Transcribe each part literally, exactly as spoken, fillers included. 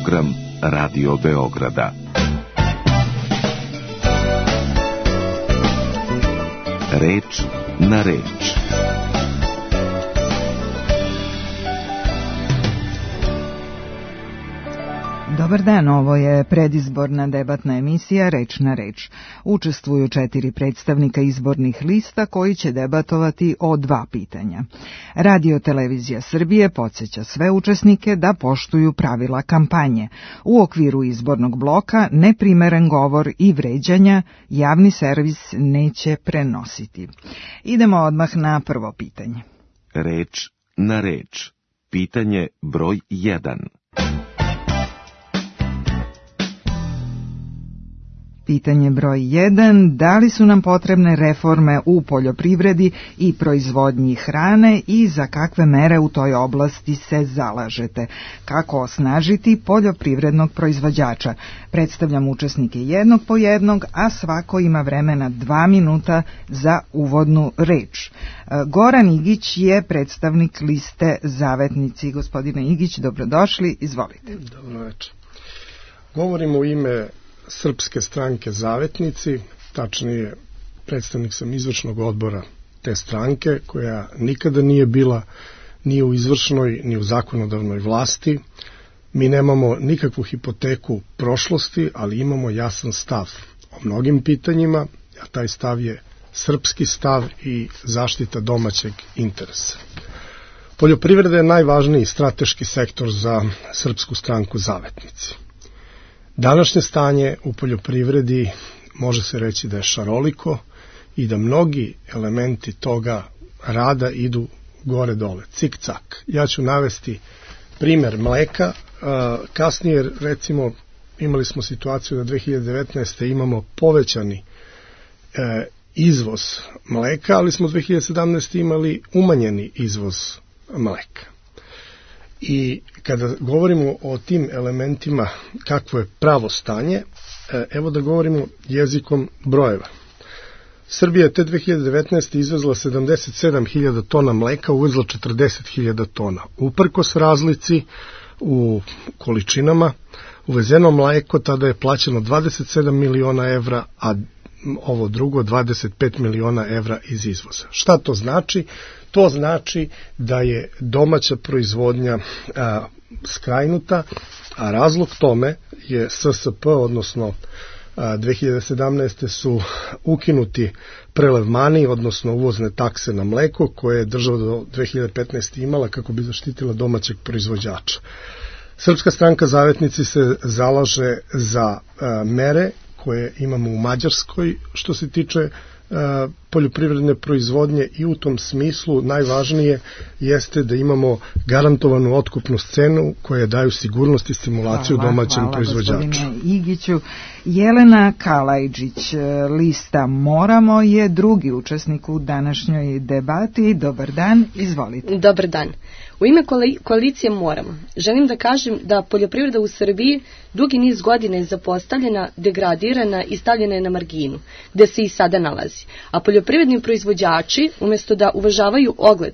program Radio Beograda. Reč na reč. Dobar dan, ovo je predizborna debatna emisija Reč na reč. Učestvuju četiri predstavnika izbornih lista koji će debatovati o dva pitanja. Radio Televizija Srbije podsjeća sve učesnike da poštuju pravila kampanje. U okviru izbornog bloka neprimeren govor i vređanja javni servis neće prenositi. Idemo odmah na prvo pitanje. Reč na reč. Pitanje broj jedan. Pitanje broj jedan. Da li su nam potrebne reforme u poljoprivredi i proizvodnji hrane i za kakve mere u toj oblasti se zalažete? Kako osnažiti poljoprivrednog proizvođača? Predstavljam učesnike jednog po jednog, a svako ima vremena dva minuta za uvodnu reč. Goran Igić je predstavnik liste Zavetnici. Gospodine Igić, dobrodošli, izvolite. Dobro večer. Govorimo u ime Srpske stranke Zavetnici, tačnije predstavnik sam izvršnog odbora te stranke, koja nikada nije bila ni u izvršnoj ni u zakonodavnoj vlasti. Mi nemamo nikakvu hipoteku prošlosti, ali imamo jasan stav o mnogim pitanjima, a taj stav je srpski stav i zaštita domaćeg interesa. Poljoprivreda je najvažniji strateški sektor za Srpsku stranku Zavetnici. Današnje stanje u poljoprivredi može se reći da je šaroliko i da mnogi elementi toga rada idu gore-dole, cik-cak. Ja ću navesti primer mleka. Kasnije, recimo, imali smo situaciju da dve hiljade devetnaeste. imamo povećani izvoz mleka, ali smo dve hiljade sedamnaeste. imali umanjeni izvoz mleka. I kada govorimo o tim elementima kakvo je pravo stanje, evo da govorimo jezikom brojeva. Srbija je te dve hiljade devetnaeste. izvezla sedamdeset sedam hiljada tona mleka, uvezla četrdeset hiljada tona. Uprkos razlici u količinama, uvezeno mleko tada je plaćeno dvadeset sedam miliona evra, a ovo drugo dvadeset pet miliona evra iz izvoza. Šta to znači? To znači da je domaća proizvodnja a, skrajnuta, a razlog tome je S S P, odnosno a, dve hiljade sedamnaeste. su ukinuti prelevmani, odnosno uvozne takse na mleko, koje je država do dve hiljade petnaeste. imala kako bi zaštitila domaćeg proizvođača. Srpska stranka Zavetnici se zalaže za a, mere koje imamo u Mađarskoj što se tiče poljoprivredne proizvodnje, i u tom smislu najvažnije jeste da imamo garantovanu otkupnu cenu koja daju sigurnost i stimulaciju hvala, domaćem hvala, proizvođaču. Gospodine Igiću. Jelena Kalajđić, lista Moramo, je drugi učesnik u današnjoj debati. Dobar dan, izvolite. Dobar dan. U ime koalicije Moramo želim da kažem da poljoprivreda u Srbiji dugi niz godina je zapostavljena, degradirana i stavljena je na marginu, gde se i sada nalazi. A poljoprivredni proizvođači, umjesto da uvažavaju ogled,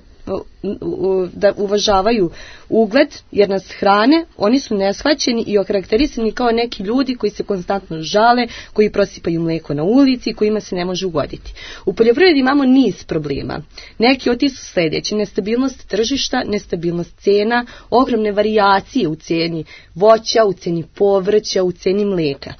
da uvažavaju ugled jer nas hrane, oni su neshvaćeni i okarakterisani kao neki ljudi koji se konstantno žale, koji prosipaju mleko na ulici, kojima se ne može ugoditi. U poljoprivredi imamo niz problema. Neki od tih su sljedeći: nestabilnost tržišta, nestabilnost cena, ogromne varijacije u ceni voća, u ceni povrća, u ceni mleka.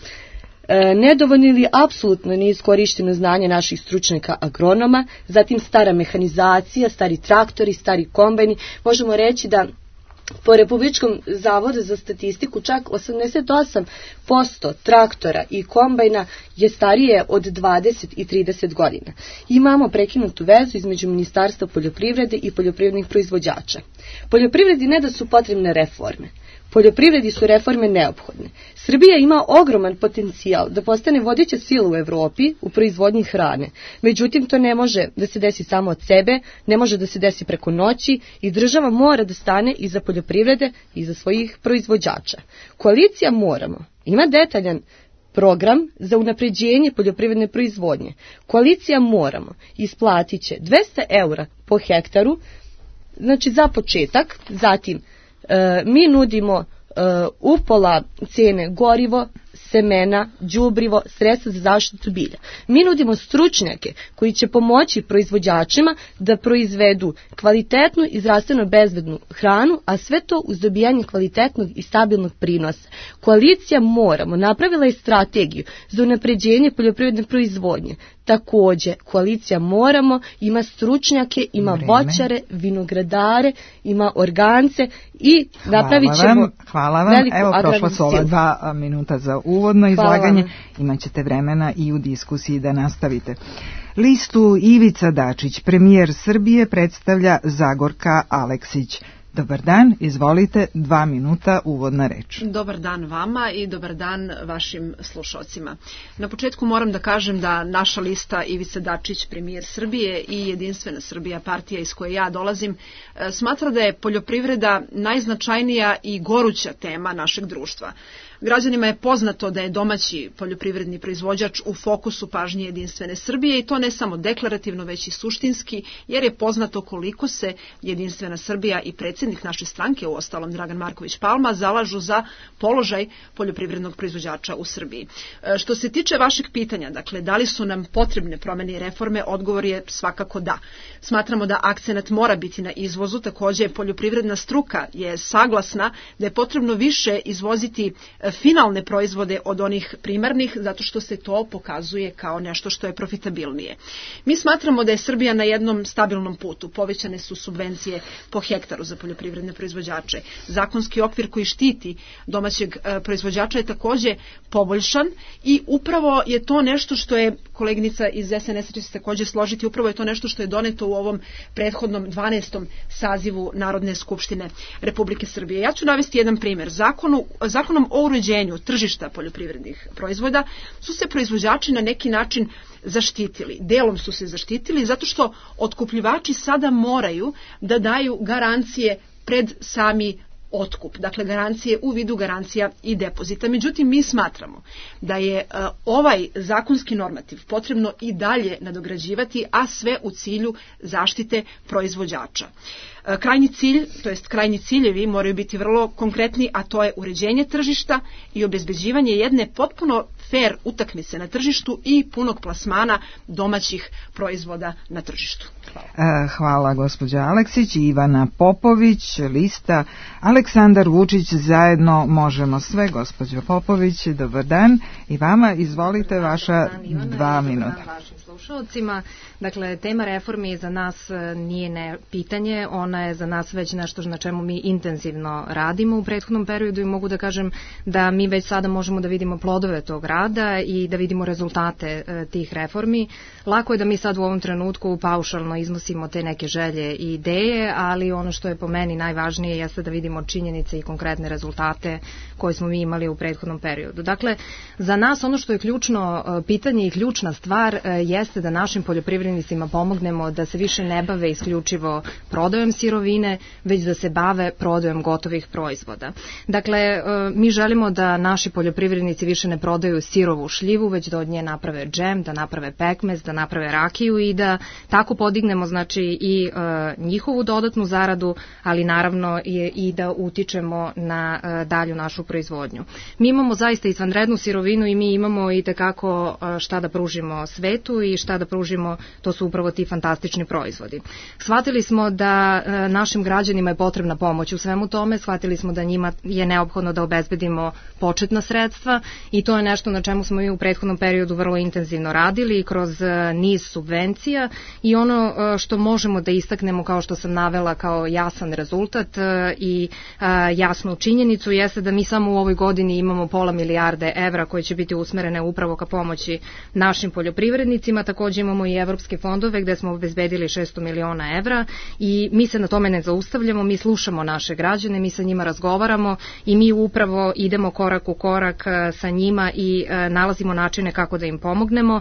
E, nedovoljno ili apsolutno neiskorišteno znanje naših stručnjaka agronoma, zatim stara mehanizacija, stari traktori, stari kombajni. Možemo reći da po Republičkom zavodu za statistiku čak osamdeset osam posto traktora i kombajna je starije od dvadeset i trideset godina. Imamo prekinutu vezu između Ministarstva poljoprivrede i poljoprivrednih proizvođača. Poljoprivredi ne da su potrebne reforme. Poljoprivredi su reforme neophodne. Srbija ima ogroman potencijal da postane vodeća sila u Evropi u proizvodnji hrane. Međutim, to ne može da se desi samo od sebe, ne može da se desi preko noći i država mora da stane iza poljoprivrede i iza svojih proizvođača. Koalicija Moramo ima detaljan program za unapređenje poljoprivredne proizvodnje. Koalicija Moramo isplatit će dvesta eura po hektaru, znači za početak, zatim e, mi nudimo upola cene gorivo, semena, đubrivo, sredstva za zaštitu bilja. Mi nudimo stručnjake koji će pomoći proizvođačima da proizvedu kvalitetnu i zdravstveno bezbednu hranu, a sve to uz dobijanje kvalitetnog i stabilnog prinosa. Koalicija Moramo napravila je strategiju za unapređenje poljoprivredne proizvodnje. Takođe, koalicija Moramo ima stručnjake, ima Vreme. voćare, vinogradare, ima organce i napravit ćemo hvala vam. Evo, prošla su ova dva minuta za uvodno izlaganje. Imaćete vremena i u diskusiji da nastavite. Listu Ivica Dačić, premijer Srbije, predstavlja Zagorka Aleksić. Dobar dan, izvolite, dva minuta, uvodna reč. Dobar dan vama i dobar dan vašim slušalcima. Na početku moram da kažem da naša lista Ivica Dačić, premijer Srbije i Jedinstvena Srbija, partija iz koje ja dolazim, smatra da je poljoprivreda najznačajnija i goruća tema našeg društva. Građanima je poznato da je domaći poljoprivredni proizvođač u fokusu pažnje Jedinstvene Srbije i to ne samo deklarativno, već i suštinski, jer je poznato koliko se Jedinstvena Srbija i predsjednik naše stranke, uostalom Dragan Marković Palma, zalažu za položaj poljoprivrednog proizvođača u Srbiji. Što se tiče vašeg pitanja, dakle, da li su nam potrebne promene i reforme, odgovor je svakako da. Smatramo da akcenat mora biti na izvozu, takođe poljoprivredna struka je saglasna da je potrebno više izvoziti finalne proizvode od onih primarnih, zato što se to pokazuje kao nešto što je profitabilnije. Mi smatramo da je Srbija na jednom stabilnom putu. Povećane su subvencije po hektaru za poljoprivredne proizvođače. Zakonski okvir koji štiti domaćeg proizvođača je takođe poboljšan i upravo je to nešto što je, koleginica iz es en es će se takođe složiti, upravo je to nešto što je doneto u ovom prethodnom dvanaestom sazivu Narodne skupštine Republike Srbije. Ja ću navesti jedan primer. Zakonu, zakonom o uređenju tržišta poljoprivrednih proizvoda su se proizvođači na neki način zaštitili. Delom su se zaštitili zato što otkupljivači sada moraju da daju garancije pred sami otkup, dakle garancije u vidu garancija i depozita. Međutim, mi smatramo da je uh, ovaj zakonski normativ potrebno i dalje nadograđivati, a sve u cilju zaštite proizvođača. Uh, krajnji cilj, to jest krajnji ciljevi moraju biti vrlo konkretni, a to je uređenje tržišta i obezbeđivanje jedne potpuno fer utakmice na tržištu i punog plasmana domaćih proizvoda na tržištu. Hvala. Hvala gospođa Aleksić. Ivana Popović, lista Aleksandar Vučić, zajedno možemo sve. Gospođa Popović, dobar dan i vama, izvolite, vaša dva minuta. Vašim slušalcima. Dakle, tema reformi za nas nije ne pitanje, ona je za nas već nešto na čemu mi intenzivno radimo u prethodnom periodu i mogu da kažem da mi već sada možemo da vidimo plodove tog rada i da vidimo rezultate e, tih reformi. Lako je da mi sad u ovom trenutku paušalno iznosimo te neke želje i ideje, ali ono što je po meni najvažnije jeste da vidimo činjenice i konkretne rezultate koje smo mi imali u prethodnom periodu. Dakle, za nas ono što je ključno e, pitanje i ključna stvar e, jeste da našim poljoprivrednicima pomognemo da se više ne bave isključivo prodajom sirovine, već da se bave prodajom gotovih proizvoda. Dakle, mi želimo da naši poljoprivrednici više ne prodaju sirovu šljivu, već da od nje naprave džem, da naprave pekmez, da naprave rakiju i da tako podignemo znači i njihovu dodatnu zaradu, ali naravno i da utičemo na dalju našu proizvodnju. Mi imamo zaista izvanrednu sirovinu i mi imamo i tekako šta da pružimo svetu i šta da pružimo, to su upravo ti fantastični proizvodi. Shvatili smo da našim građanima je potrebna pomoć u svemu tome, shvatili smo da njima je neophodno da obezbedimo početna sredstva i to je nešto na čemu smo i u prethodnom periodu vrlo intenzivno radili kroz niz subvencija i ono što možemo da istaknemo, kao što sam navela, kao jasan rezultat i jasnu činjenicu jeste da mi samo u ovoj godini imamo pola milijarde evra koje će biti usmerene upravo ka pomoći našim poljoprivrednicima. Takođe imamo i evropske fondove gde smo obezbedili šesto miliona evra i mi se na tome ne zaustavljamo, mi slušamo naše građane, mi sa njima razgovaramo i mi upravo idemo korak u korak sa njima i nalazimo načine kako da im pomognemo.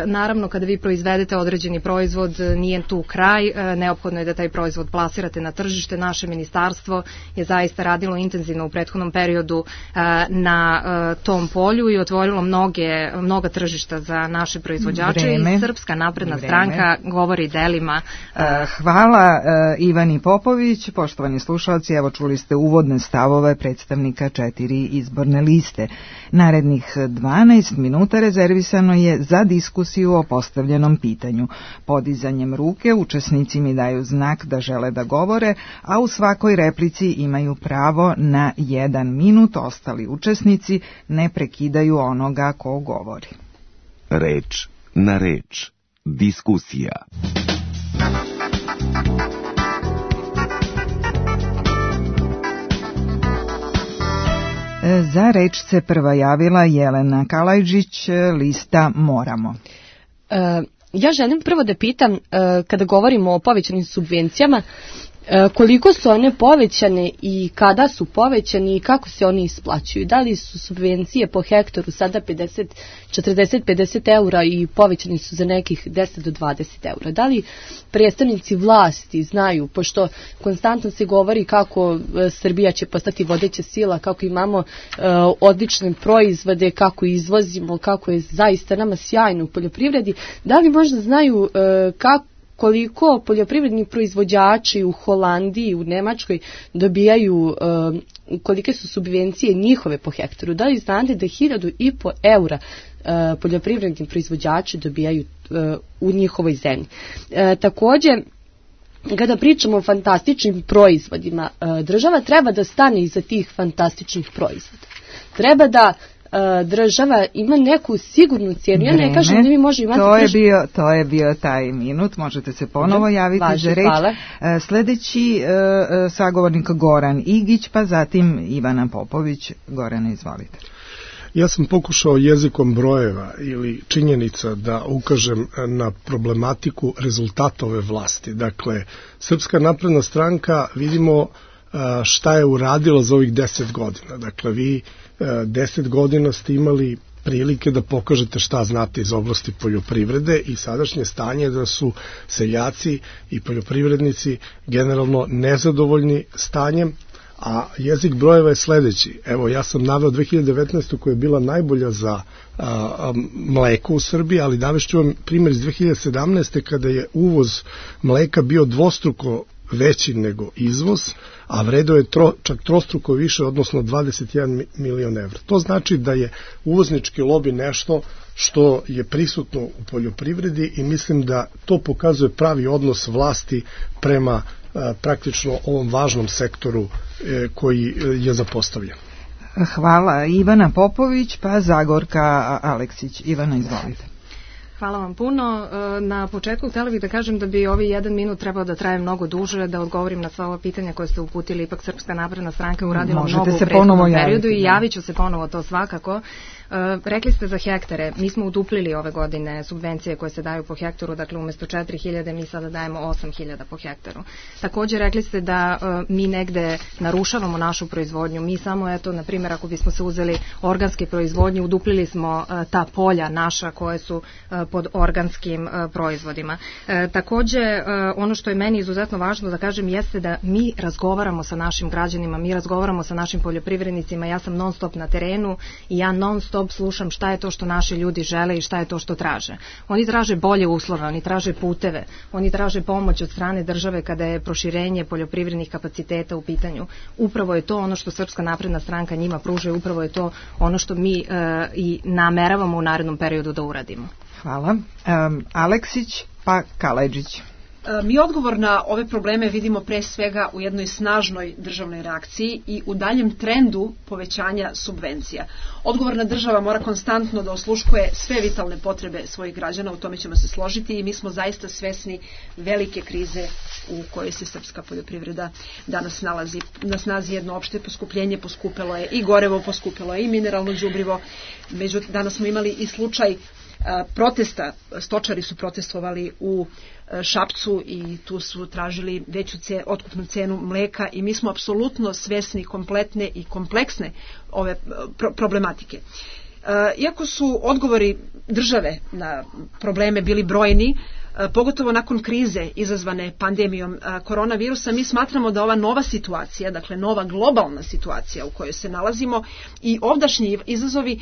Naravno, kada vi proizvedete određeni proizvod, nije tu kraj, neophodno je da taj proizvod plasirate na tržište. Naše ministarstvo je zaista radilo intenzivno u prethodnom periodu na tom polju i otvorilo mnoge, mnoga tržišta za naše proizvođače proizvođača Vreme. i Srpska napredna Vreme. stranka govori delima. Hvala Ivani Popović. Poštovani slušalci, evo čuli ste uvodne stavove predstavnika četiri izborne liste. Narednih dvanaest minuta rezervisano je za diskusiju o postavljenom pitanju. Podizanjem ruke učesnici mi daju znak da žele da govore, a u svakoj replici imaju pravo na jedan minut. Ostali učesnici ne prekidaju onoga ko govori. Reč na reč. Diskusija. Za reč se prva javila Jelena Kalajđić, lista Moramo. E, ja želim prvo da pitam, e, kada govorimo o povećanim subvencijama, e, koliko su one povećane i kada su povećane i kako se oni isplaćuju? Da li su subvencije po hektaru sada pedeset, četrdeset, pedeset eura i povećani su za nekih deset do dvadeset eura? Da li predstavnici vlasti znaju, pošto konstantno se govori kako Srbija će postati vodeća sila, kako imamo e, odlične proizvode, kako izvozimo, kako je zaista nama sjajno u poljoprivredi, da li možda znaju e, kako koliko poljoprivredni proizvođači u Holandiji, u Nemačkoj dobijaju, e, kolike su subvencije njihove po hektaru? Da li znate da hiljadu i po eura e, poljoprivredni proizvođači dobijaju e, u njihovoj zemlji? E, također, kada pričamo o fantastičnim proizvodima, e, država treba da stane iza tih fantastičnih proizvoda. Treba da država ima neku sigurnu cijenu. Ja ne kažem da mi možemo imati... To je, bio, to je bio taj minut, možete se ponovo javiti Važi, za reč. Hvala. Sljedeći uh, sagovornik Goran Igić, pa zatim Ivana Popović. Gorane, izvolite. Ja sam pokušao jezikom brojeva ili činjenica da ukažem na problematiku rezultata ove vlasti. Dakle, Srpska napredna stranka, vidimo šta je uradila za ovih deset godina. Dakle, vi deset godina ste imali prilike da pokažete šta znate iz oblasti poljoprivrede i sadašnje stanje da su seljaci i poljoprivrednici generalno nezadovoljni stanjem, a jezik brojeva je sledeći. Evo, ja sam naveo dve hiljade devetnaeste. koja je bila najbolja za a, a, mleko u Srbiji, ali navešću vam primjer iz dve hiljade sedamnaeste. kada je uvoz mleka bio dvostruko veći nego izvoz, a vredeo je tro, čak trostruko više, odnosno dvadeset jedan milion evra. To znači da je uvoznički lobi nešto što je prisutno u poljoprivredi i mislim da to pokazuje pravi odnos vlasti prema a, praktično ovom važnom sektoru e, koji je zapostavljen. Hvala. Ivana Popović, pa Zagorka Aleksić. Ivana, izvolite. Hvala vam puno. Na početku htjela bih da kažem da bi ovi jedan minut trebao da traje mnogo duže, da odgovorim na sva ova pitanja koje ste uputili. Ipak Srpska napredna stranka uradila Možete mnogo u se prethodnom periodu javiti, i da. javit ću se ponovo to svakako. Rekli ste za hektare, mi smo uduplili ove godine subvencije koje se daju po hektaru, dakle umjesto četiri hiljade mi sada dajemo osam hiljada po hektaru. Također rekli ste da mi negde narušavamo našu proizvodnju, mi samo eto, na primjer, ako bismo se uzeli organske proizvodnje, uduplili smo ta polja naša koje su pod organskim proizvodima. Također, ono što je meni izuzetno važno da kažem jeste da mi razgovaramo sa našim građanima, mi razgovaramo sa našim poljoprivrednicima, ja sam non stop na terenu i ja non stop slušam šta je to što naši ljudi žele i šta je to što traže. Oni traže bolje uslove, oni traže puteve, oni traže pomoć od strane države kada je proširenje poljoprivrednih kapaciteta u pitanju. Upravo je to ono što Srpska napredna stranka njima pruža i upravo je to ono što mi e, i nameravamo u narednom periodu da uradimo. Hvala. Um, Aleksić, pa Kalajđić. Mi odgovor na ove probleme vidimo pre svega u jednoj snažnoj državnoj reakciji i u daljem trendu povećanja subvencija. Odgovorna država mora konstantno da osluškuje sve vitalne potrebe svojih građana, u tome ćemo se složiti i mi smo zaista svesni velike krize u kojoj se srpska poljoprivreda danas nalazi. Na snazi jedno opšte poskupljenje, poskupelo je i gorevo, poskupelo je i mineralno đubrivo. Međutim, danas smo imali i slučaj protesta, stočari su protestovali u Šapcu i tu su tražili veću ce, otkupnu cenu mleka i mi smo apsolutno svesni kompletne i kompleksne ove pro, problematike. Iako su odgovori države na probleme bili brojni, pogotovo nakon krize izazvane pandemijom koronavirusa, mi smatramo da ova nova situacija, dakle nova globalna situacija u kojoj se nalazimo i ovdašnji izazovi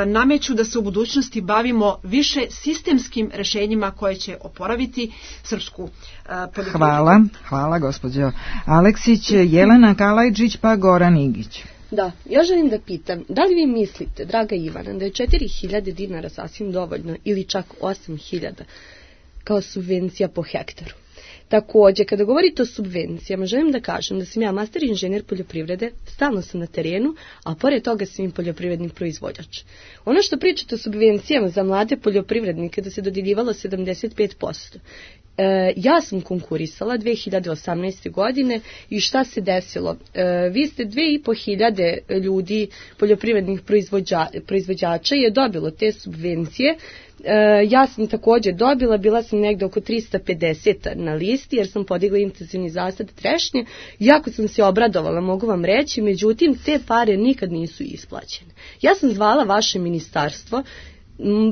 nameću da se u budućnosti bavimo više sistemskim rešenjima koje će oporaviti srpsku poljoprivredu. Hvala, hvala gospođo Aleksić. Jelena Kalajđić pa Goran Igić. Da, ja želim da pitam, da li vi mislite, draga Ivana, da je četiri hiljade dinara sasvim dovoljno ili čak osam hiljada kao subvencija po hektaru? Takođe, kada govorite o subvencijama, želim da kažem da sam ja master inženjer poljoprivrede, stalno sam na terenu, a pored toga sam i poljoprivredni proizvođač. Ono što pričate o subvencijama za mlade poljoprivrednike da se dodjeljivalo sedamdeset pet posto. E, ja sam konkurisala dve hiljade osamnaeste. godine i šta se desilo? E, vi ste dve i po hiljade ljudi poljoprivrednih proizvođa, proizvođača je dobilo te subvencije. E, ja sam također dobila, bila sam negde oko trista pedeset na listi jer sam podigla intenzivni zasad trešnje. Jako sam se obradovala, mogu vam reći, međutim te pare nikad nisu isplaćene. Ja sam zvala vaše ministarstvo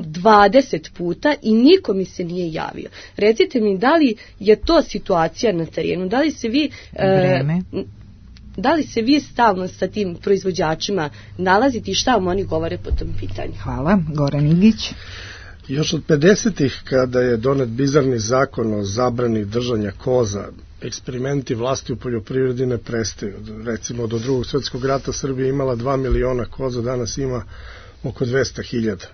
dvadeset puta i niko mi se nije javio. Recite mi, da li je to situacija na terenu, da li se vi Vreme. E, da li se vi stalno sa tim proizvođačima nalazite i šta vam oni govore po tom pitanju? Hvala, Goran Igić. Još od pedesetih, kada je donet bizarni zakon o zabrani držanja koza, eksperimenti vlasti u poljoprivredi ne prestaju. Recimo, do drugog svjetskog rata Srbija imala dva miliona koza, danas ima oko dvesta hiljada.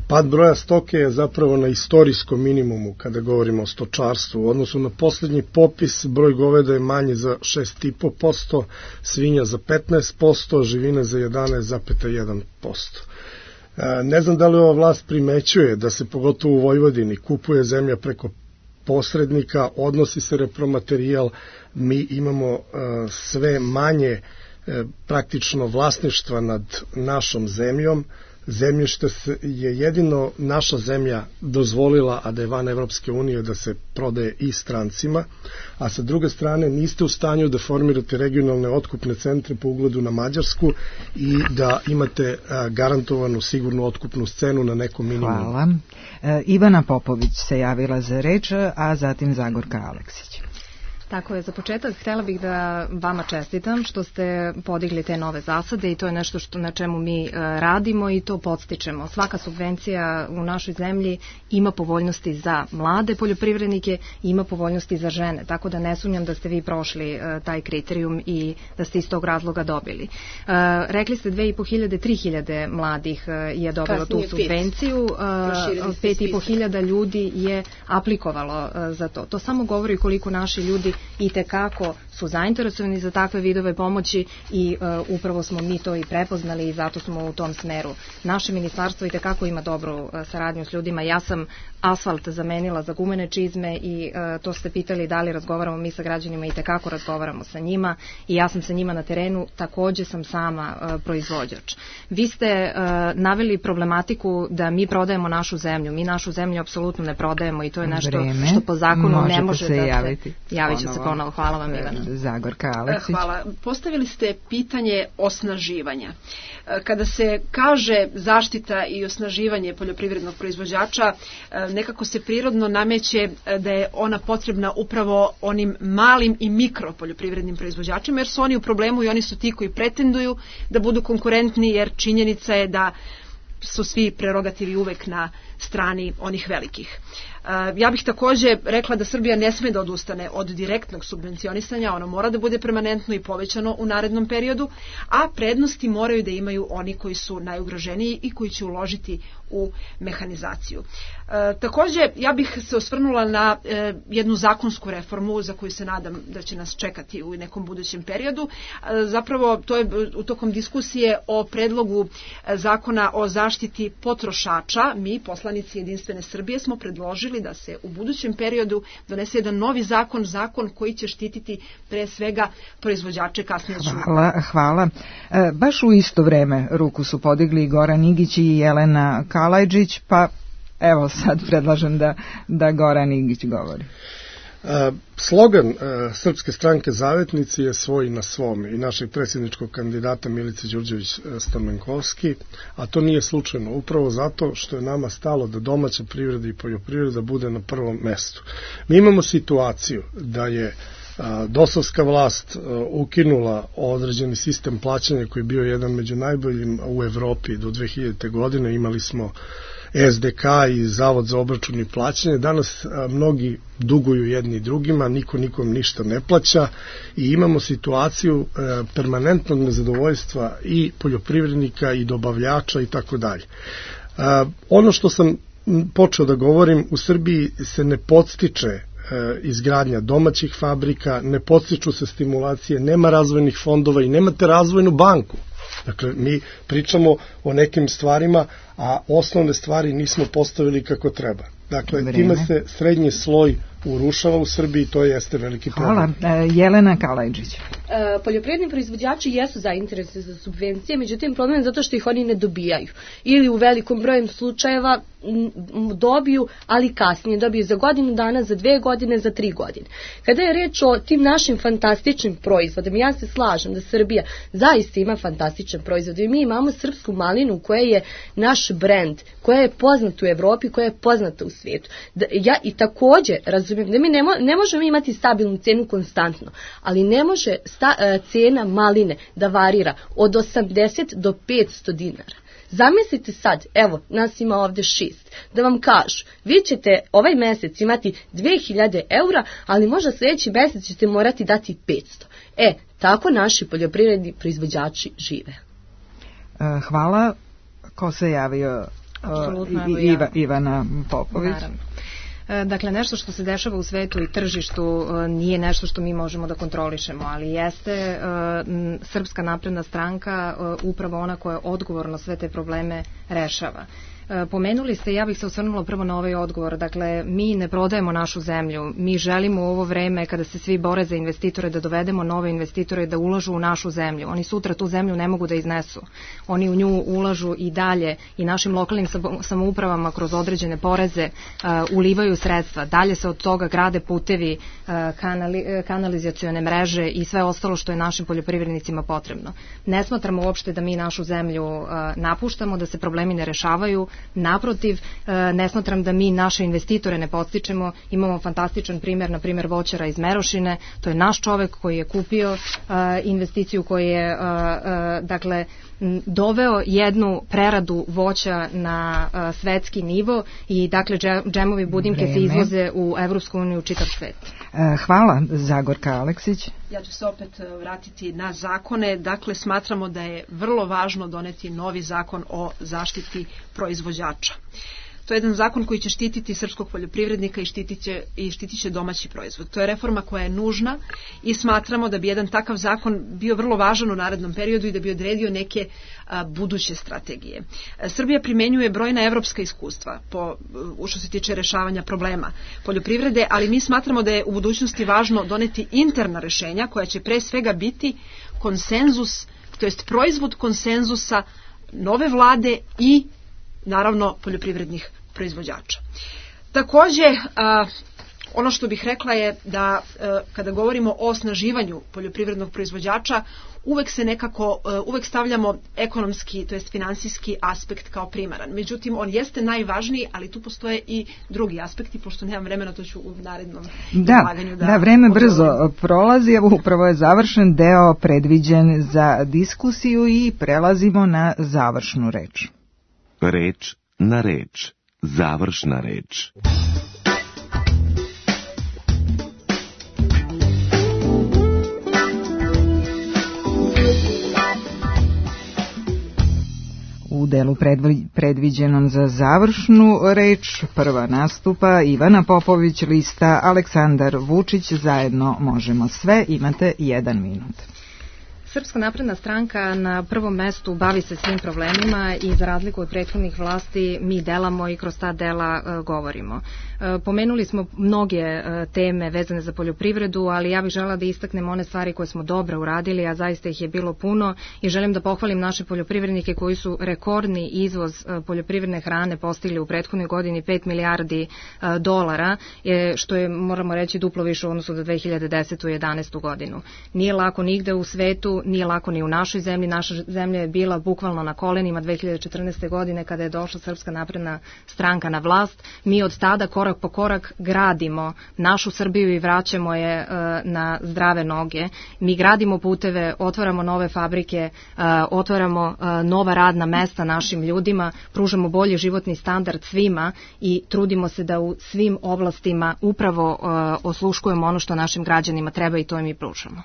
Pad broja stoke je zapravo na istorijskom minimumu kada govorimo o stočarstvu. U odnosu na posljednji popis broj goveda je manji za šest i po posto, svinja za petnaest posto, živine za jedanaest zarez jedan posto. Ne znam da li ova vlast primećuje da se pogotovo u Vojvodini kupuje zemlja preko posrednika, odnosi se repromaterijal, mi imamo sve manje praktično vlasništva nad našom zemljom. Zemljište je jedino naša zemlja dozvolila, a da je van Evropske unije, da se prodaje i strancima, a sa druge strane niste u stanju da formirate regionalne otkupne centre po ugledu na Mađarsku i da imate garantovanu sigurnu otkupnu cenu na nekom minimumu. Hvala. E, Ivana Popović se javila za reč, a zatim Zagorka Aleksić. Tako je, za početak htjela bih da vama čestitam što ste podigli te nove zasade i to je nešto što, na čemu mi radimo i to podstičemo. Svaka subvencija u našoj zemlji ima povoljnosti za mlade poljoprivrednike i ima povoljnosti za žene, tako da ne sumnjam da ste vi prošli taj kriterijum i da ste iz tog razloga dobili. Rekli ste dve i po hiljade, tri hiljade mladih je dobilo tu subvenciju, pet i po hiljada ljudi je aplikovalo za to. To samo govori koliko naši ljudi i tekako su zainteresovani za takve vidove pomoći i uh, upravo smo mi to i prepoznali i zato smo u tom smeru. Naše ministarstvo i tekako ima dobru uh, saradnju s ljudima. Ja sam asfalt zamenila za gumene čizme i uh, to ste pitali da li razgovaramo mi sa građanima i tekako razgovaramo sa njima i ja sam sa njima na terenu, takođe sam sama uh, proizvođač. Vi ste uh, naveli problematiku da mi prodajemo našu zemlju. Mi našu zemlju apsolutno ne prodajemo i to je nešto Vreme. što po zakonu Možete ne može se da javiti. se... Javit ću se ponovo. Hvala vam, Ivana. Zagorka Aleksić. Hvala. Postavili ste pitanje osnaživanja. Kada se kaže zaštita i osnaživanje poljoprivrednog proizvođača, nekako se prirodno nameće da je ona potrebna upravo onim malim i mikro poljoprivrednim proizvođačima, jer su oni u problemu i oni su ti koji pretenduju da budu konkurentni, jer činjenica je da su svi prerogativi uvek na strani onih velikih. Ja bih takođe rekla da Srbija ne sme da odustane od direktnog subvencionisanja, ono mora da bude permanentno i povećano u narednom periodu, a prednosti moraju da imaju oni koji su najugroženiji i koji će uložiti u mehanizaciju. E, takođe, ja bih se osvrnula na e, jednu zakonsku reformu za koju se nadam da će nas čekati u nekom budućem periodu. E, zapravo, to je u tokom diskusije o predlogu zakona o zaštiti potrošača. Mi, poslanici Jedinstvene Srbije, smo predložili da se u budućem periodu donese jedan novi zakon, zakon koji će štititi pre svega proizvođače kasnije. Hvala, hvala. E, baš u isto vreme ruku su podigli Goran Igić i Jelena Kalajđić, pa evo sad predlažem da, da Goran Igić govori. Slogan Srpske stranke Zavetnici je svoj na svom i našeg predsjedničkog kandidata Milice Đurđević Stamenkovski, a to nije slučajno, upravo zato što je nama stalo da domaća privreda i poljoprivreda bude na prvom mestu. Mi imamo situaciju da je dosovska vlast ukinula određeni sistem plaćanja koji je bio jedan među najboljim u Evropi do dve hiljadite. godine. Imali smo S D K i Zavod za obračun i plaćanje. Danas mnogi duguju jedni drugima, niko nikom ništa ne plaća i imamo situaciju permanentnog nezadovoljstva i poljoprivrednika i dobavljača i tako dalje. Ono što sam počeo da govorim, u Srbiji se ne podstiče izgradnja domaćih fabrika, ne podstiču se stimulacije, nema razvojnih fondova i nemate razvojnu banku. Dakle, mi pričamo o nekim stvarima, a osnovne stvari nismo postavili kako treba. Dakle, Vreme. Time se srednji sloj urušava u Srbiji, to jeste veliki problem. Hvala. Jelena Kalajđić. E, poljoprivredni proizvođači jesu zainteresovani za subvencije, međutim problem je zato što ih oni ne dobijaju. Ili u velikom broju slučajeva dobiju, ali kasnije dobiju za godinu dana, za dve godine, za tri godine. Kada je reč o tim našim fantastičnim proizvodima, ja se slažem da Srbija zaista ima fantastičan proizvod i mi imamo srpsku malinu koja je naš brend, koja je poznata u Evropi, koja je poznata u svijetu. Da, ja i takođe razumijem da mi ne, mo, ne možemo imati stabilnu cenu konstantno, ali ne može sta, cena maline da varira od osamdeset do petsto dinara. Zamislite sad, evo, nas ima ovde šest, da vam kažu, vi ćete ovaj mesec imati dve hiljade eura, ali možda sljedeći mesec ćete morati dati petsto. E, tako naši poljoprivredni proizvođači žive. Hvala. Ko se javio? Apsolutno, I, Iva, Ivana Popović. Naravno. Dakle, nešto što se dešava u svetu i tržištu nije nešto što mi možemo da kontrolišemo, ali jeste Srpska napredna stranka upravo ona koja odgovorno sve te probleme rešava. Pomenuli ste, ja bih se osvrnula prvo na ovaj odgovor, dakle, mi ne prodajemo našu zemlju, mi želimo u ovo vreme kada se svi bore za investitore da dovedemo nove investitore da ulažu u našu zemlju. Oni sutra tu zemlju ne mogu da iznesu. Oni u nju ulažu i dalje i našim lokalnim samoupravama kroz određene poreze uh, ulivaju sredstva. Dalje se od toga grade putevi, uh, kanali, kanalizacione mreže i sve ostalo što je našim poljoprivrednicima potrebno. Ne smatramo uopšte da mi našu zemlju uh, napuštamo, da se problemi ne rešavaju. Naprotiv, ne smatram da mi naše investitore ne podstičemo. Imamo fantastičan primjer, na primjer voćara iz Merošine. To je naš čovek koji je kupio investiciju, koji je dakle doveo jednu preradu voća na svetski nivo i dakle džemovi budimke Vreme. se izvoze u Evropsku uniju u čitav svet. Hvala. Zagorka Aleksić. Ja ću se opet vratiti na zakone. Dakle, smatramo da je vrlo važno doneti novi zakon o zaštiti proizvođača. To je jedan zakon koji će štititi srpskog poljoprivrednika i štitit će, i štitit će domaći proizvod. To je reforma koja je nužna i smatramo da bi jedan takav zakon bio vrlo važan u narednom periodu i da bi odredio neke a, buduće strategije. A, Srbija primenjuje brojna evropska iskustva po, u što se tiče rešavanja problema poljoprivrede, ali mi smatramo da je u budućnosti važno doneti interna rešenja koja će pre svega biti konsenzus, to jest proizvod konsenzusa nove vlade i naravno poljoprivrednih proizvođača. Takođe, a, ono što bih rekla je da a, kada govorimo o osnaživanju poljoprivrednog proizvođača, uvek se nekako, a, uvek stavljamo ekonomski, to jest finansijski aspekt kao primaran. Međutim, on jeste najvažniji, ali tu postoje i drugi aspekti, pošto nemam vremena, to ću u narednom izlaganju da... Da, vreme brzo prolazi, evo upravo je završen deo predviđen za diskusiju i prelazimo na završnu reč. Reč na reč. Završna reč. U delu predviđenom za završnu reč prva nastupa Ivana Popović, lista Aleksandar Vučić, zajedno možemo sve. Imate jedan minut. Srpska napredna stranka na prvom mestu bavi se svim problemima i za razliku od prethodnih vlasti mi delamo i kroz ta dela uh, govorimo. Uh, pomenuli smo mnoge uh, teme vezane za poljoprivredu, ali ja bih žela da istaknem one stvari koje smo dobro uradili, a zaista ih je bilo puno i želim da pohvalim naše poljoprivrednike koji su rekordni izvoz uh, poljoprivredne hrane postigli u prethodnoj godini pet milijardi uh, dolara, je, što je, moramo reći, duplo više u odnosu do dve hiljade desete. i jedanaeste. godinu. Nije lako nigde u svetu, nije lako ni u našoj zemlji. Naša zemlja je bila bukvalno na kolenima dve hiljade četrnaeste. godine kada je došla Srpska napredna stranka na vlast. Mi od tada korak po korak gradimo našu Srbiju i vraćamo je uh, na zdrave noge. Mi gradimo puteve, otvaramo nove fabrike, uh, otvaramo uh, nova radna mesta našim ljudima, pružamo bolji životni standard svima i trudimo se da u svim oblastima upravo uh, osluškujemo ono što našim građanima treba i to im i pružamo.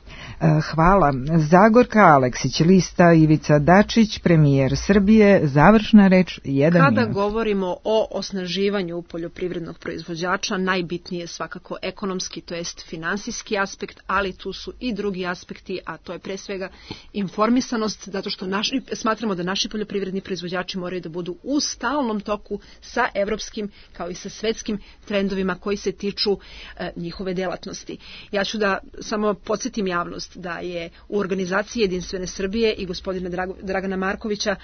Hvala. Zagorka Aleksić, lista Ivica Dačić, premijer Srbije, završna reč, jedan Kada minut. govorimo o osnaživanju poljoprivrednog proizvođača, najbitnije je svakako ekonomski, to jest finansijski aspekt, ali tu su i drugi aspekti, a to je pre svega informisanost, zato što naši, smatramo da naši poljoprivredni proizvođači moraju da budu u stalnom toku sa evropskim kao i sa svetskim trendovima koji se tiču e, njihove delatnosti. Ja ću da samo podsjetim javnost da je u organizaciji Jedinstvene Srbije i gospodina Drago, Dragana Markovića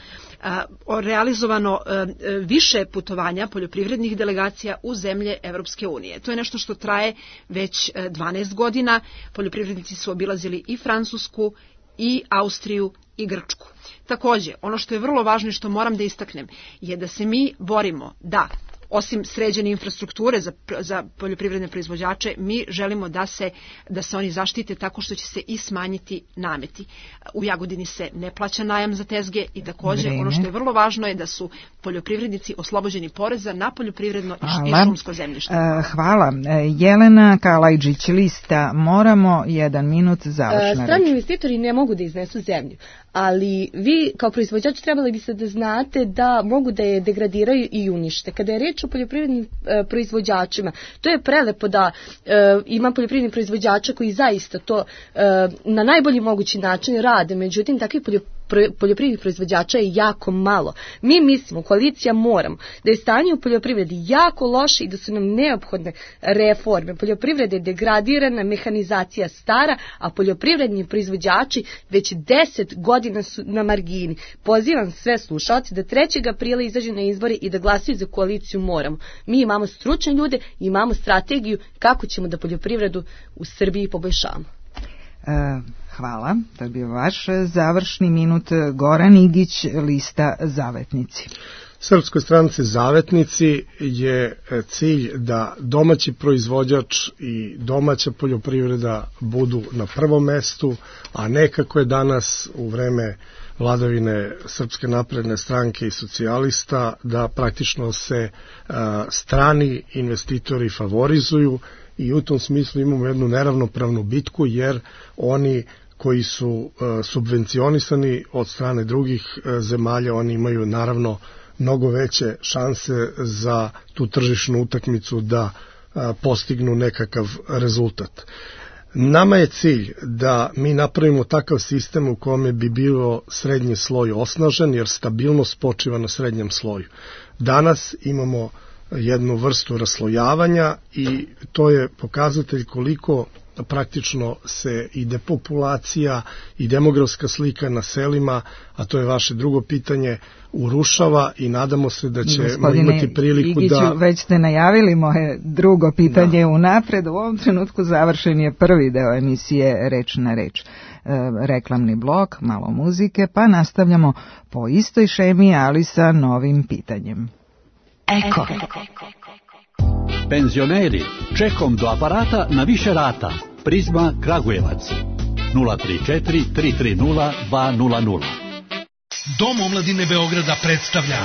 a, realizovano a, više putovanja poljoprivrednih delegacija u zemlje Evropske unije. To je nešto što traje već dvanaest godina. Poljoprivrednici su obilazili i Francusku, i Austriju, i Grčku. Takođe, ono što je vrlo važno i što moram da istaknem je da se mi borimo da osim sređene infrastrukture za, za poljoprivredne proizvođače, mi želimo da se, da se oni zaštite tako što će se i smanjiti nameti. U Jagodini se ne plaća najam za tezge i takođe Vreme. ono što je vrlo važno je da su poljoprivrednici oslobođeni poreza na poljoprivredno i, i šumsko zemljište. Uh, hvala. Jelena Kalajđić, lista Moramo, jedan minut, završna reč. Strani investitori ne mogu da iznesu zemlju, ali vi kao proizvođač trebali biste da znate da mogu da je degradiraju i unište. Kada je reč o poljoprivrednim e, proizvođačima, to je prelepo da e, ima poljoprivrednih proizvođača koji zaista to e, na najbolji mogući način rade, međutim takvi poljoprivredni poljoprivrednih proizvođača je jako malo. Mi mislimo, koalicija Moramo, da je stanje u poljoprivredi jako loše i da su nam neophodne reforme. Poljoprivreda je degradirana, mehanizacija stara, a poljoprivredni proizvođači već deset godina su na margini. Pozivam sve slušalce da trećeg aprila izađu na izbore i da glasaju za koaliciju Moramo. Mi imamo stručne ljude, imamo strategiju kako ćemo da poljoprivredu u Srbiji poboljšamo. Uh, hvala, to je bio vaš završni minut. Goran Igić, lista Zavetnici. Srpskoj stranci Zavetnici je cilj da domaći proizvođač i domaća poljoprivreda budu na prvom mestu, a ne kako je danas u vreme vladavine Srpske napredne stranke i socijalista, da praktično se uh, strani investitori favorizuju. I u tom smislu imamo jednu neravnopravnu bitku, jer oni koji su uh, subvencionisani od strane drugih uh, zemalja, oni imaju naravno mnogo veće šanse za tu tržišnu utakmicu da uh, postignu nekakav rezultat. Nama je cilj da mi napravimo takav sistem u kome bi bio srednji sloj osnažen, jer stabilnost počiva na srednjem sloju. Danas imamo jednu vrstu raslojavanja i to je pokazatelj koliko praktično se i depopulacija i demografska slika na selima, a to je vaše drugo pitanje, urušava i nadamo se da ćemo Gospodine imati priliku Igiću, da... već ste najavili moje drugo pitanje da. unapred. U ovom trenutku završen je prvi deo emisije Reč na reč. E, reklamni blok, malo muzike, pa nastavljamo po istoj šemi, ali sa novim pitanjem. Eko. Penzioneri, čekom do aparata na više rata. Prizma Kragujevac. nula tri četiri tri tri nula dva nula nula. Dom omladine Beograda predstavlja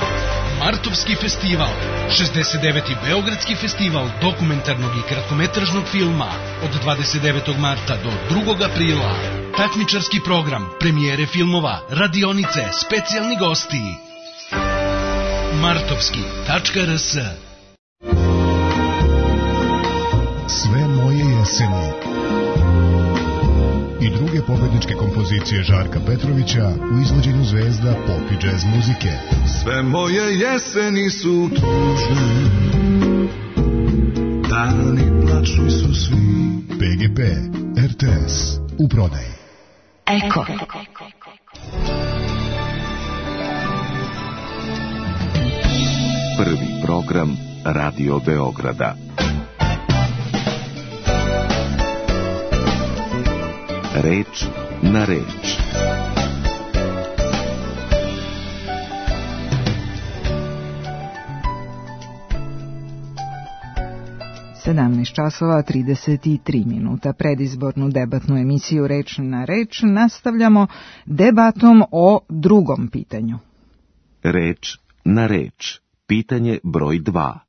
Martovski festival, šezdeset deveti Beogradski festival dokumentarnog i kratkometražnog filma od dvadeset devetog marta do drugog aprila. Takmičarski program, premijere filmova, radionice, specijalni gosti. martovski tačka r s. Sve moje jeseni i druge velike pobedničke kompozicije Žarka Petrovića u izvođenju zvezda pop i džez muzike. Sve moje jeseni su tužne, dani plačni su svi. P G P, R T S, u prodaji. Eko. Prvi program Radio Beograda. Reč na reč. sedamnaest časova trideset tri minuta. Predizbornu debatnu emisiju Reč na reč nastavljamo debatom o drugom pitanju. Reč na reč. Pitanje broj dva.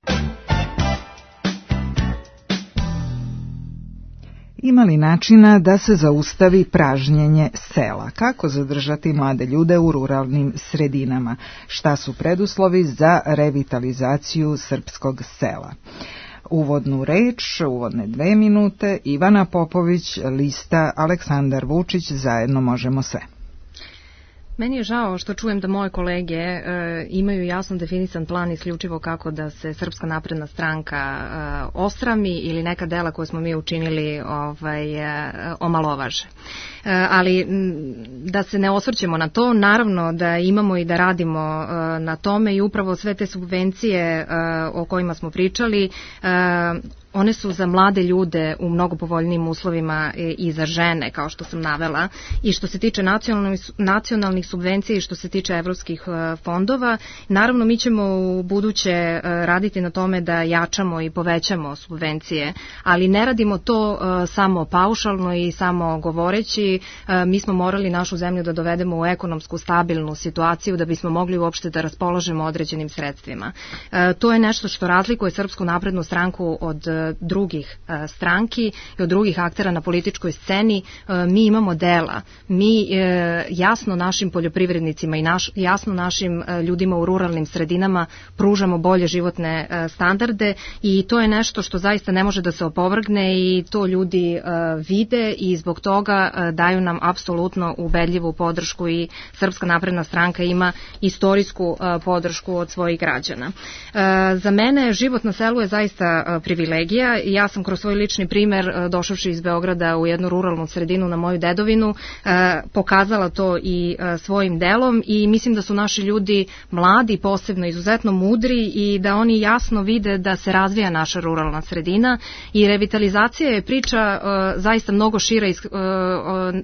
Ima li načina da se zaustavi pražnjenje sela? Kako zadržati mlade ljude u ruralnim sredinama? Šta su preduslovi za revitalizaciju srpskog sela? Uvodnu reč, uvodne dve minute, Ivana Popović, lista Aleksandar Vučić, zajedno možemo sve. Meni je žao što čujem da moje kolege e, imaju jasno definisan plan isključivo kako da se Srpska napredna stranka e, osrami ili neka dela koje smo mi učinili ovaj, e, omalovaže. E, ali m, da se ne osvrćemo na to, naravno da imamo i da radimo e, na tome i upravo sve te subvencije e, o kojima smo pričali, e, one su za mlade ljude u mnogo povoljnijim uslovima i za žene, kao što sam navela, i što se tiče nacionalnih, nacionalnih subvencija i što se tiče evropskih fondova. Naravno, mi ćemo u buduće raditi na tome da jačamo i povećamo subvencije, ali ne radimo to samo paušalno i samo govoreći. Mi smo morali našu zemlju da dovedemo u ekonomsku stabilnu situaciju da bismo mogli uopšte da raspolažemo određenim sredstvima. To je nešto što razlikuje Srpsku naprednu stranku od drugih stranki i od drugih aktera na političkoj sceni. Mi imamo dela, mi jasno našim poljoprivrednicima i naš, jasno našim ljudima u ruralnim sredinama pružamo bolje životne standarde i to je nešto što zaista ne može da se opovrgne i to ljudi vide i zbog toga daju nam apsolutno ubedljivu podršku i Srpska napredna stranka ima istorijsku podršku od svojih građana. Za mene život na selu je zaista privilegija. Ja sam kroz svoj lični primer, došavši iz Beograda u jednu ruralnu sredinu na moju dedovinu, pokazala to i svojim delom i mislim da su naši ljudi mladi, posebno izuzetno mudri i da oni jasno vide da se razvija naša ruralna sredina i revitalizacija je priča zaista mnogo šira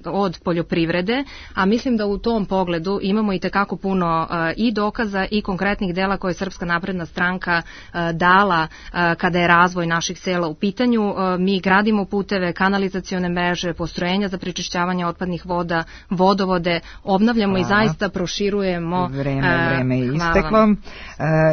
od poljoprivrede, a mislim da u tom pogledu imamo i tekako puno i dokaza i konkretnih dela koje je Srpska napredna stranka dala kada je razvoj naših sela u pitanju. Mi gradimo puteve, kanalizacione mreže, postrojenja za prečišćavanje otpadnih voda, vodovode, obnavljamo hvala. I zaista proširujemo. Vreme, vreme je isteklo.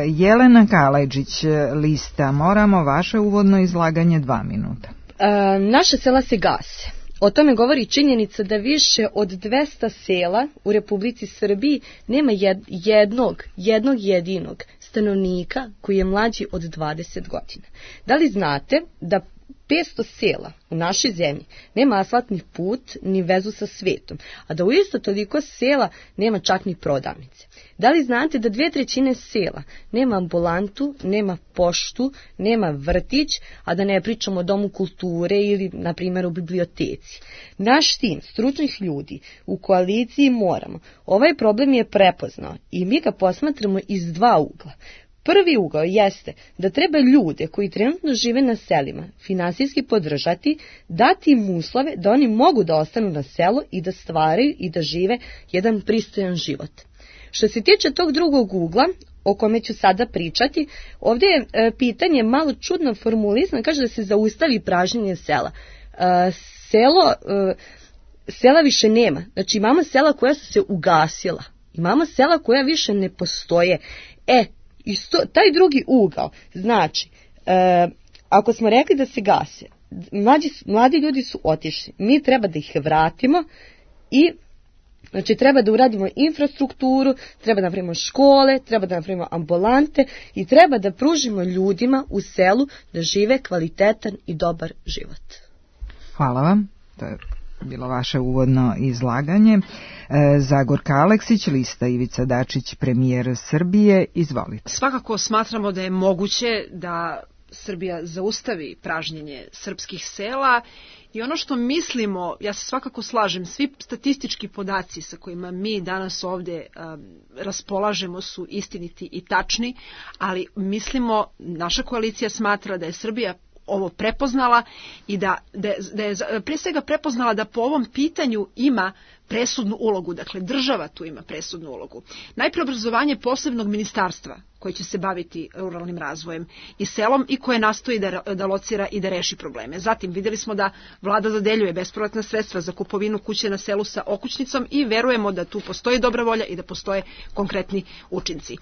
Jelena Kalajđić, lista Moramo, vaše uvodno izlaganje dva minuta. E, naša sela se gase. O tome govori činjenica da više od dvesta sela u Republici Srbiji nema jednog, jednog jedinog stanovnika koji je mlađi od dvadeset godina. Da li znate da petsto sela u našoj zemlji nema asfaltni put ni vezu sa svetom, a da u isto toliko sela nema čak ni prodavnice? Da li znate da dve trećine sela nema ambulantu, nema poštu, nema vrtić, a da ne pričamo o domu kulture ili, na primjer, u biblioteci? Naš tim stručnih ljudi u koaliciji Moramo ovaj problem je prepoznao i mi ga posmatramo iz dva ugla. Prvi ugao jeste da treba ljude koji trenutno žive na selima finansijski podržati, dati im uslove da oni mogu da ostanu na selu i da stvaraju i da žive jedan pristojan život. Što se tiče tog drugog ugla, o kome ću sada pričati, ovdje je e, pitanje malo čudno formulizano, kaže da se zaustavi pražnjenje sela. E, selo, e, sela više nema, znači imamo sela koja su se ugasila, imamo sela koja više ne postoje. E, isto, taj drugi ugao, znači, e, ako smo rekli da se gase, mlađi, mladi ljudi su otišli, mi treba da ih vratimo i znači treba da uradimo infrastrukturu, treba da napravimo škole, treba da napravimo ambulante i treba da pružimo ljudima u selu da žive kvalitetan i dobar život. Hvala vam. To je bilo vaše uvodno izlaganje. Zagorka Aleksić, lista Ivica Dačić, premijer Srbije, izvolite. Svakako smatramo da je moguće da Srbija zaustavi pražnjenje srpskih sela i ono što mislimo, ja se svakako slažem, svi statistički podaci sa kojima mi danas ovde um, raspolažemo su istiniti i tačni, ali mislimo, naša koalicija smatra da je Srbija ovo prepoznala i da, da, je, da je pre svega prepoznala da po ovom pitanju ima presudnu ulogu, dakle država tu ima presudnu ulogu. Najpre obrazovanje posebnog ministarstva koje će se baviti ruralnim razvojem i selom i koje nastoji da, da locira i da reši probleme. Zatim videli smo da vlada dodeljuje bespovratna sredstva za kupovinu kuće na selu sa okućnicom i verujemo da tu postoji dobra volja i da postoje konkretni učinci.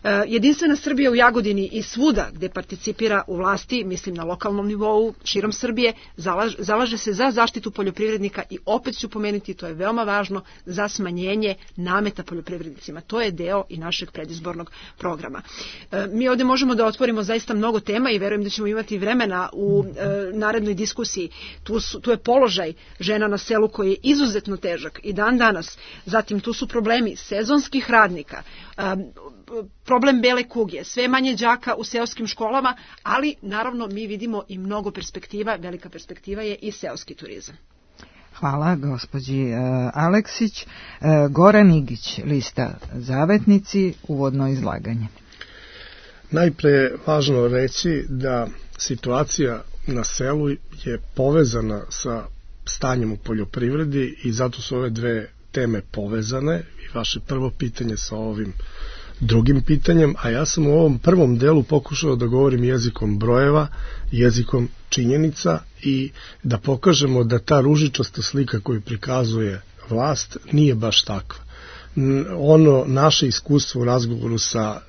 E, Jedinstvena Srbija u Jagodini i svuda gde participira u vlasti, mislim na lokalnom nivou, širom Srbije, zalaže, zalaže se za zaštitu poljoprivrednika i opet ću pomenuti, to je veoma važno, za smanjenje nameta poljoprivrednicima. To je deo i našeg predizbornog programa. E, mi ovde možemo da otvorimo zaista mnogo tema i verujem da ćemo imati vremena u e, narednoj diskusiji. Tu, su, tu je položaj žena na selu koji je izuzetno težak i dan danas. Zatim tu su problemi sezonskih radnika, e, problem bele kuge, sve manje đaka u seoskim školama, ali naravno mi vidimo i mnogo perspektiva, velika perspektiva je i seoski turizam. Hvala gospođi uh, Aleksić. Uh, Goran Igić, lista Zavetnici, uvodno izlaganje. Najpre je važno reći da situacija na selu je povezana sa stanjem u poljoprivredi i zato su ove dve teme povezane i vaše prvo pitanje sa ovim drugim pitanjem, a ja sam u ovom prvom delu pokušao da govorim jezikom brojeva, jezikom činjenica i da pokažemo da ta ružičasta slika koju prikazuje vlast nije baš takva. Ono naše iskustvo u razgovoru sa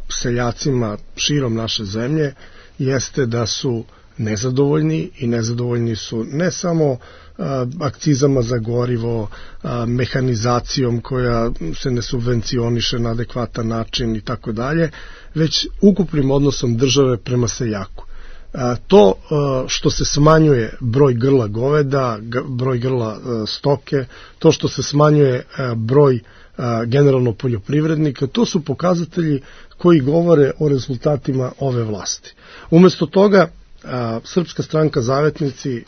seljacima širom naše zemlje jeste da su nezadovoljni i nezadovoljni su ne samo a, akcizama za gorivo, a, mehanizacijom koja se ne subvencioniše na adekvatan način i tako dalje, već ukupnim odnosom države prema seljaku. A, to a, što se smanjuje broj grla goveda, g, broj grla a, stoke, to što se smanjuje a, broj a, generalno poljoprivrednika, to su pokazatelji koji govore o rezultatima ove vlasti. Umesto toga A, Srpska stranka Zavetnici e,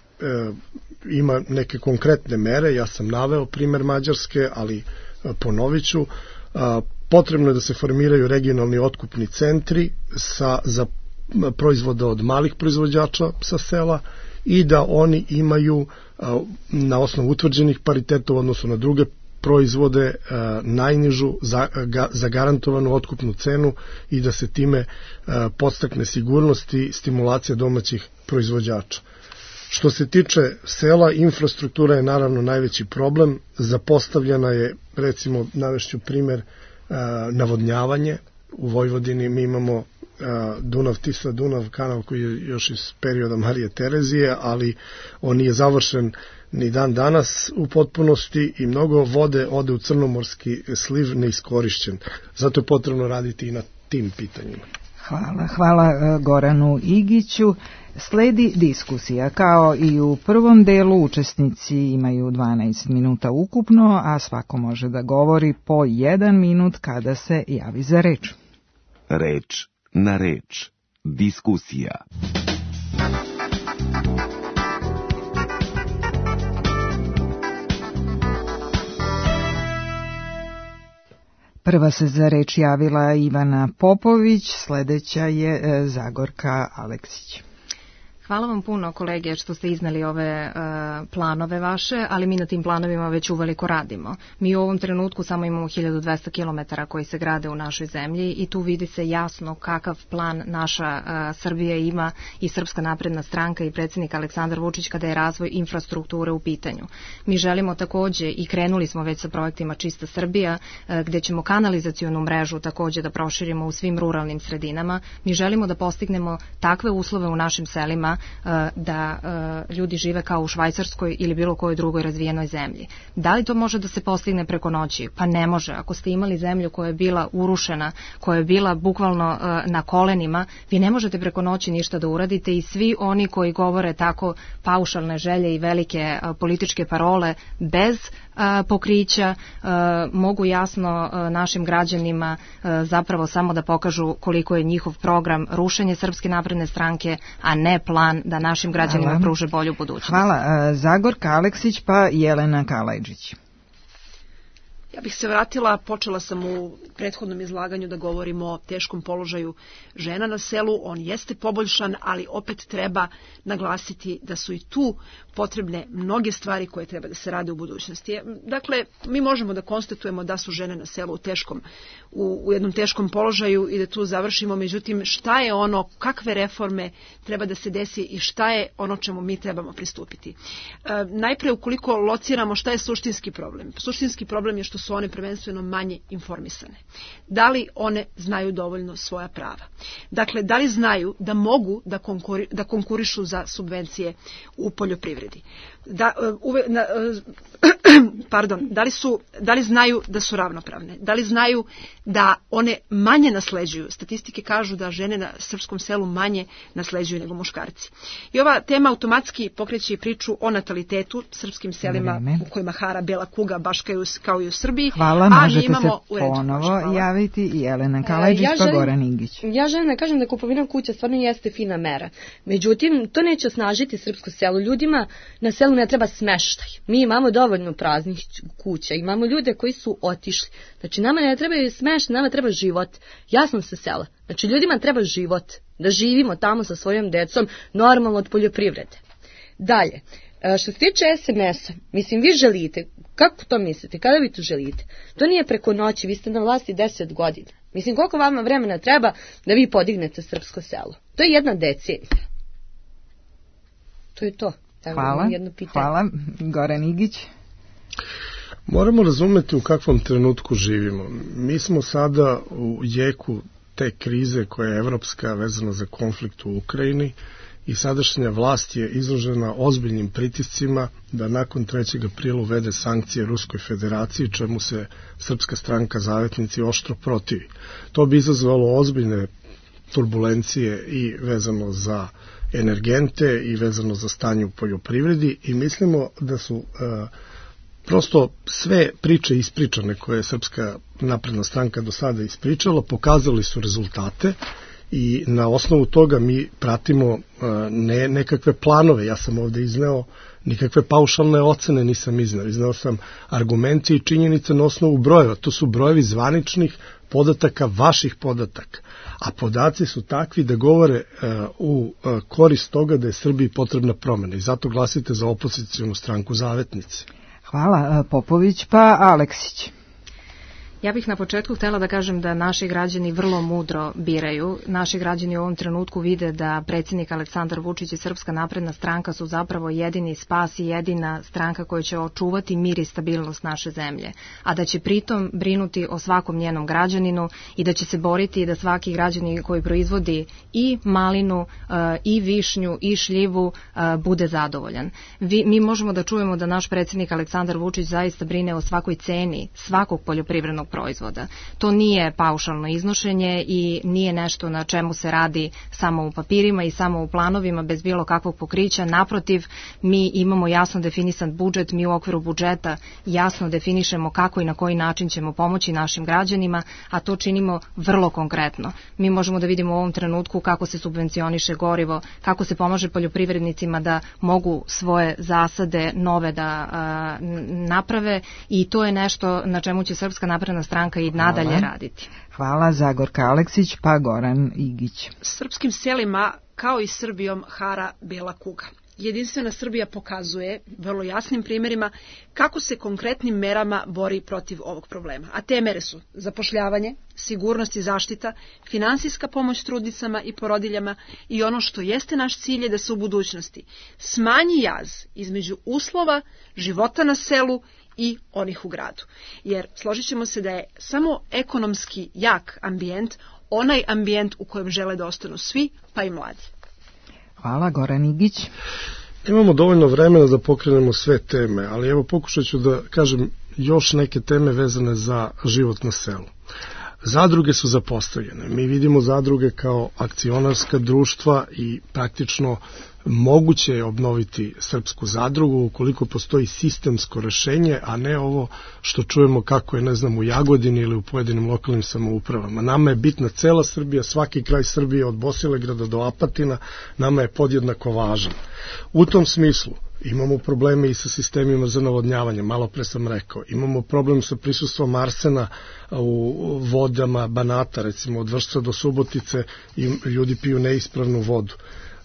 ima neke konkretne mere, ja sam naveo primer Mađarske, ali a, ponovit ću, a, potrebno je da se formiraju regionalni otkupni centri sa, za proizvode od malih proizvođača sa sela i da oni imaju a, na osnovu utvrđenih pariteta u odnosu na druge proizvode a, najnižu za, ga, zagarantovanu otkupnu cenu i da se time a, podstakne sigurnost i stimulacija domaćih proizvođača. Što se tiče sela, infrastruktura je naravno najveći problem. Zapostavljena je, recimo, navešću primer, a, navodnjavanje. U Vojvodini mi imamo a, Dunav, Tisa, Dunav kanal koji je još iz perioda Marije Terezije, ali on nije završen ni dan danas u potpunosti i mnogo vode ode u crnomorski sliv neiskorišćen. Zato je potrebno raditi i na tim pitanjima. Hvala, hvala Goranu Igiću. Sledi diskusija. Kao i u prvom delu, učesnici imaju dvanaest minuta ukupno, a svako može da govori po jedan minut kada se javi za reč. Reč na reč. Diskusija. Prva se za reč javila Ivana Popović, sledeća je Zagorka Aleksić. Hvala vam puno, kolege, što ste iznali ove uh, planove vaše, ali mi na tim planovima već uveliko radimo. Mi u ovom trenutku samo imamo hiljadu dvesta kilometara koji se grade u našoj zemlji i tu vidi se jasno kakav plan naša uh, Srbija ima i Srpska napredna stranka i predsjednik Aleksandar Vučić kada je razvoj infrastrukture u pitanju. Mi želimo takođe i krenuli smo već sa projektima Čista Srbija, uh, gde ćemo kanalizacionu mrežu takođe da proširimo u svim ruralnim sredinama. Mi želimo da postignemo takve uslove u našim selima da ljudi žive kao u Švajcarskoj ili bilo kojoj drugoj razvijenoj zemlji. Da li to može da se postigne preko noći? Pa ne može. Ako ste imali zemlju koja je bila urušena, koja je bila bukvalno na kolenima, vi ne možete preko noći ništa da uradite i svi oni koji govore tako paušalne želje i velike političke parole bez pokrića mogu jasno našim građanima zapravo samo da pokažu koliko je njihov program rušenje Srpske napredne stranke, a ne plan da našim građanima Hvala. Pruže bolju budućnost. Hvala. Zagorka Aleksić pa Jelena Kalajđić. Ja bih se vratila, počela sam u prethodnom izlaganju da govorimo o teškom položaju žena na selu. On jeste poboljšan, ali opet treba naglasiti da su i tu potrebne mnoge stvari koje treba da se rade u budućnosti. Dakle, mi možemo da konstatujemo da su žene na selu u teškom, u, u jednom teškom položaju i da tu završimo. Međutim, šta je ono, kakve reforme treba da se desi i šta je ono čemu mi trebamo pristupiti? E, najpre, ukoliko lociramo šta je suštinski problem? Suštinski problem je što su one prvenstveno manje informisane. Da li one znaju dovoljno svoja prava? Dakle, da li znaju da mogu da, konkuri, da konkurišu za subvencije u poljoprivredi? Da, uve, na, pardon, da li, su, da li znaju da su ravnopravne? Da li znaju da one manje nasleđuju? Statistike kažu da žene na srpskom selu manje nasleđuju nego muškarci. I ova tema automatski pokreće i priču o natalitetu srpskim selima Vreme. U kojima hara bela kuga baš kao i u Srbiji. Hvala, a možete imamo se ponovo javiti i Jelena Kalajđić ja pa Goran Ingić. Ja želim da kažem da kupovina kuća stvarno jeste fina mera. Međutim, to neće osnažiti srpsko selo. Ljudima na selu ne treba smeštaj. Mi imamo dovoljno praznih kuća, imamo ljude koji su otišli. Znači, nama ne treba smeštaj, nama treba život. Ja sam sa sela. Znači, ljudima treba život. Da živimo tamo sa svojom decom, normalno od poljoprivrede. Dalje, što se tiče es em es-a, mislim, vi želite, kako to mislite, kada vi to želite? To nije preko noći, vi ste na vlasti deset godina. Mislim, koliko vama vremena treba da vi podignete srpsko selo? To je jedna decenija. To je to. Hvala, hvala. Goran Igić. Moramo razumeti u kakvom trenutku živimo. Mi smo sada u jeku te krize koja je evropska vezana za konflikt u Ukrajini i sadašnja vlast je izložena ozbiljnim pritiscima da nakon trećeg aprila uvede sankcije Ruskoj federaciji, čemu se Srpska stranka Zavetnici oštro protivi. To bi izazvalo ozbiljne turbulencije i vezano za energente i vezano za stanje u poljoprivredi i mislimo da su uh, prosto sve priče ispričane koje je Srpska napredna stranka do sada ispričala, pokazali su rezultate i na osnovu toga mi pratimo uh, ne nekakve planove. Ja sam ovde izneo nikakve paušalne ocene nisam izneo. Izneo sam argumente i činjenice na osnovu brojeva. To su brojevi zvaničnih podataka, vaših podataka. A podaci su takvi da govore uh, u uh, korist toga da je Srbiji potrebna promena. I zato glasite za opozicijonu stranku Zavetnici. Hvala. Popović pa Aleksić. Ja bih na početku htjela da kažem da naši građani vrlo mudro biraju. Naši građani u ovom trenutku vide da predsjednik Aleksandar Vučić i Srpska napredna stranka su zapravo jedini spas i jedina stranka koja će očuvati mir i stabilnost naše zemlje, a da će pritom brinuti o svakom njenom građaninu i da će se boriti da svaki građanin koji proizvodi i malinu, i višnju, i šljivu bude zadovoljan. Vi, mi možemo da čujemo da naš predsjednik Aleksandar Vučić zaista brine o svakoj ceni svakog poljoprivrednog proizvoda. To nije paušalno iznošenje i nije nešto na čemu se radi samo u papirima i samo u planovima bez bilo kakvog pokrića. Naprotiv, mi imamo jasno definisan budžet, mi u okviru budžeta jasno definišemo kako i na koji način ćemo pomoći našim građanima, a to činimo vrlo konkretno. Mi možemo da vidimo u ovom trenutku kako se subvencioniše gorivo, kako se pomaže poljoprivrednicima da mogu svoje zasade nove da a, naprave i to je nešto na čemu će Srpska napredna stranka i nadalje Hvala. raditi. Hvala. Zagorka Aleksić pa Goran Igić. Srpskim selima kao i Srbijom hara bela kuga. Jedinstvena Srbija pokazuje vrlo jasnim primjerima kako se konkretnim merama bori protiv ovog problema. A te mere su zapošljavanje, sigurnost i zaštita, finansijska pomoć trudnicama i porodiljama i ono što jeste naš cilj je da se u budućnosti smanji jaz između uslova života na selu i onih u gradu. Jer složit ćemo se da je samo ekonomski jak ambijent onaj ambijent u kojem žele da ostanu svi, pa i mladi. Hvala, Goran Igić. Imamo dovoljno vremena da pokrenemo sve teme, ali evo pokušat ću da kažem još neke teme vezane za život na selu. Zadruge su zapostavljene. Mi vidimo zadruge kao akcionarska društva i praktično moguće je obnoviti srpsku zadrugu ukoliko postoji sistemsko rešenje, a ne ovo što čujemo kako je, ne znam, u Jagodini ili u pojedinim lokalnim samoupravama. Nama je bitna cela Srbija, svaki kraj Srbije od Bosilegrada do Apatina, nama je podjednako važan. U tom smislu imamo probleme i sa sistemima za navodnjavanje, malo pre sam rekao. Imamo problem sa prisustvom arsena u vodama Banata, recimo od Vršca do Subotice, i ljudi piju neispravnu vodu.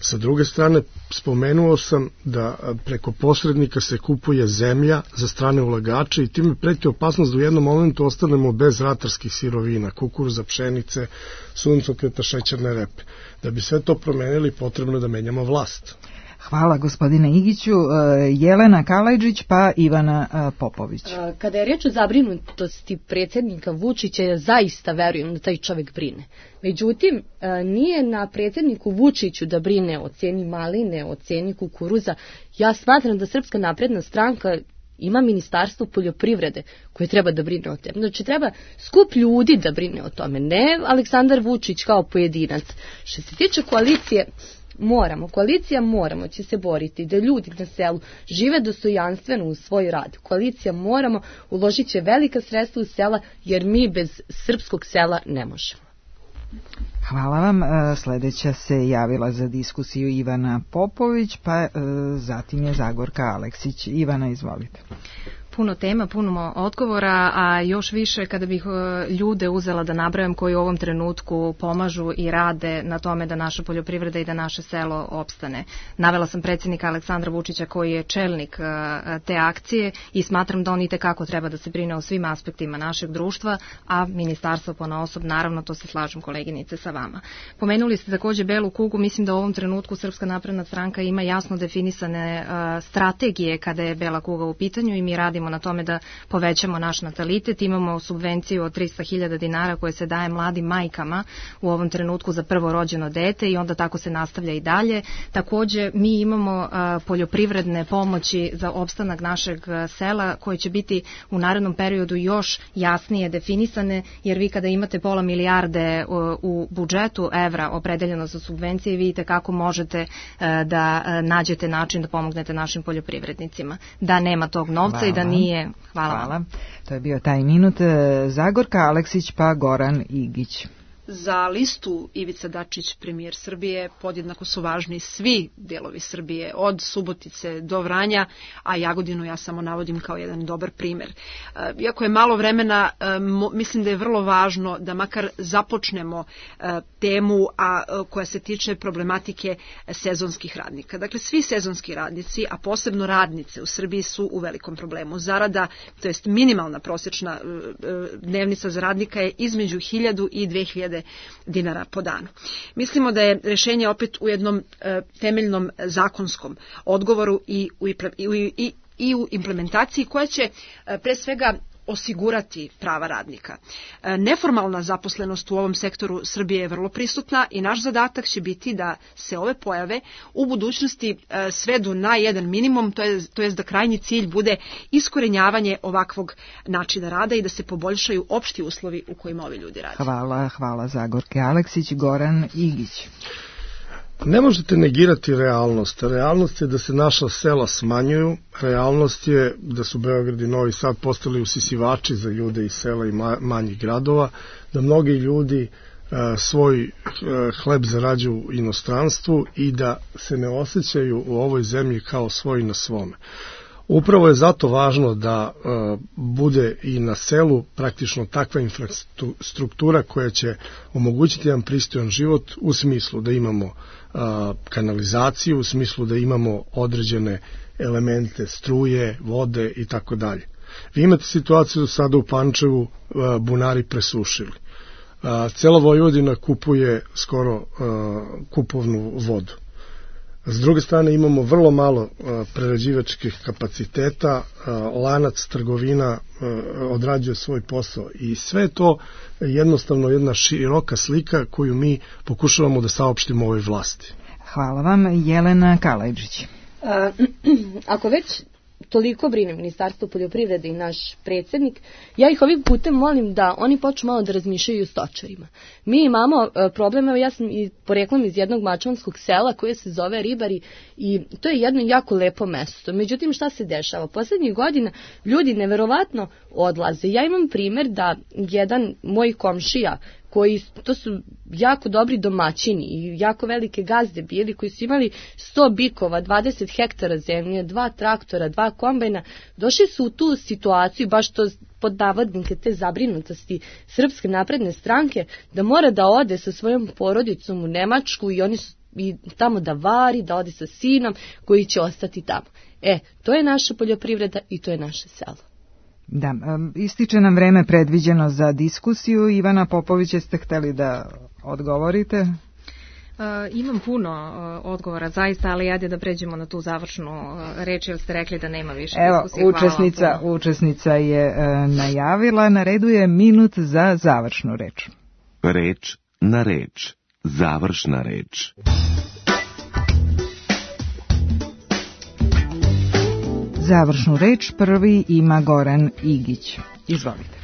Sa druge strane, spomenuo sam da preko posrednika se kupuje zemlja za strane ulagače i time preti opasnost da u jednom momentu ostanemo bez ratarskih sirovina, kukuruza, pšenice, suncokreta, šećerne repe. Da bi sve to promenili, potrebno je da menjamo vlast. Hvala gospodine Igiću. Jelena Kalajđić pa Ivana Popović. Kada je reč o zabrinutosti predsjednika Vučića, ja zaista verujem da taj čovjek brine. Međutim, nije na predsjedniku Vučiću da brine o ceni maline, o ceni kukuruza. Ja smatram da Srpska napredna stranka ima ministarstvo poljoprivrede koje treba da brine o tome. Znači, treba skup ljudi da brine o tome, ne Aleksandar Vučić kao pojedinac. Što se tiče koalicije, moramo, koalicija moramo će se boriti da ljudi na selu žive dostojanstveno u svoj rad. Koalicija moramo, uložit će velika sredstva u sela, jer mi bez srpskog sela ne možemo. Hvala vam. Sledeća se javila za diskusiju Ivana Popović, pa zatim je Zagorka Aleksić. Ivana, izvolite. Puno tema, puno odgovora, a još više kada bih ljude uzela da nabrajam koji u ovom trenutku pomažu i rade na tome da naša poljoprivreda i da naše selo opstane. Navela sam predsjednika Aleksandra Vučića koji je čelnik te akcije i smatram da on itekako treba da se brine o svim aspektima našeg društva, a ministarstvo ponaosob, naravno, to se slažem koleginice sa vama. Pomenuli ste takođe belu kugu, mislim da u ovom trenutku Srpska napredna stranka ima jasno definisane strategije kada je bela kuga u pitanju i mi radimo na tome da povećamo naš natalitet. Imamo subvenciju od trista hiljada dinara koje se daje mladim majkama u ovom trenutku za prvo rođeno dete i onda tako se nastavlja i dalje. Takođe, mi imamo poljoprivredne pomoći za opstanak našeg sela koje će biti u narednom periodu još jasnije definisane, jer vi kada imate pola milijarde u budžetu evra opredeljeno za subvencije, vidite kako možete da nađete način da pomognete našim poljoprivrednicima. Da nema tog novca Hvala. I da nije. Hvala. Hvala. To je bio taj minut. Zagorka Aleksić pa Goran Igić. Za listu Ivica Dačić, premijer Srbije, podjednako su važni svi delovi Srbije, od Subotice do Vranja, a Jagodinu ja samo navodim kao jedan dobar primer. Iako je malo vremena, mislim da je vrlo važno da makar započnemo temu a koja se tiče problematike sezonskih radnika. Dakle, svi sezonski radnici, a posebno radnice u Srbiji su u velikom problemu. Zarada, to jest minimalna prosječna dnevnica za radnika je između hiljadu i dve hiljade dinara po danu. Mislimo da je rešenje opet u jednom e, temeljnom zakonskom odgovoru i u, i, i, i u implementaciji koja će e, pre svega osigurati prava radnika. E, neformalna zaposlenost u ovom sektoru Srbije je vrlo prisutna i naš zadatak će biti da se ove pojave u budućnosti e, svedu na jedan minimum, to je, to je da krajnji cilj bude iskorenjavanje ovakvog načina rada i da se poboljšaju opšti uslovi u kojima ovi ljudi rade. Hvala, hvala Zagorke Aleksić. Goran Igić. Ne možete negirati realnost. Realnost je da se naša sela smanjuju, realnost je da su Beograd i Novi Sad postali usisivači za ljude iz sela i manjih gradova, da mnogi ljudi svoj hleb zarađuju u inostranstvu i da se ne osjećaju u ovoj zemlji kao svoji na svome. Upravo je zato važno da uh, bude i na selu praktično takva infrastruktura koja će omogućiti jedan pristojan život u smislu da imamo uh, kanalizaciju, u smislu da imamo određene elemente struje, vode i tako dalje. Vi imate situaciju sada u Pančevu, uh, bunari presušili. Uh, cela Vojvodina kupuje skoro uh, kupovnu vodu. S druge strane imamo vrlo malo uh, prerađivačkih kapaciteta, uh, lanac trgovina uh, odrađuje svoj posao i sve to jednostavno jedna široka slika koju mi pokušavamo da saopštimo ovoj vlasti. Hvala vam, Jelena Kaleđić. A, ako već toliko brine Ministarstvo poljoprivrede i naš predsjednik, ja ih ovim putem molim da oni počnu malo da razmišljaju o stočarima. Mi imamo problem, evo ja sam i poreklom iz jednog mačvanskog sela koje se zove Ribari i to je jedno jako lepo mesto. Međutim, šta se dešava? Poslednjih godina ljudi neverovatno odlaze. Ja imam primjer da jedan moj komšija koji, to su jako dobri domaćini i jako velike gazde bili, koji su imali sto bikova, dvadeset hektara zemlje, dva traktora, dva kombajna, došli su u tu situaciju, baš to pod navodnike te zabrinutosti Srpske napredne stranke, da mora da ode sa svojom porodicom u Nemačku i oni su i tamo da vari, da ode sa sinom koji će ostati tamo. E, to je naša poljoprivreda i to je naše selo. Da, ističe nam vreme predviđeno za diskusiju. Ivana Popović, jeste hteli da odgovorite? Uh, imam puno uh, odgovora zaista, ali ajde da pređemo na tu završnu uh, reč, jer ste rekli da nema više Evo, diskusije. učesnica, učesnica je uh, najavila, na redu je minut za završnu reč. Reč na reč, završna reč. Završnu reč prvi ima Goran Igić. Izvolite.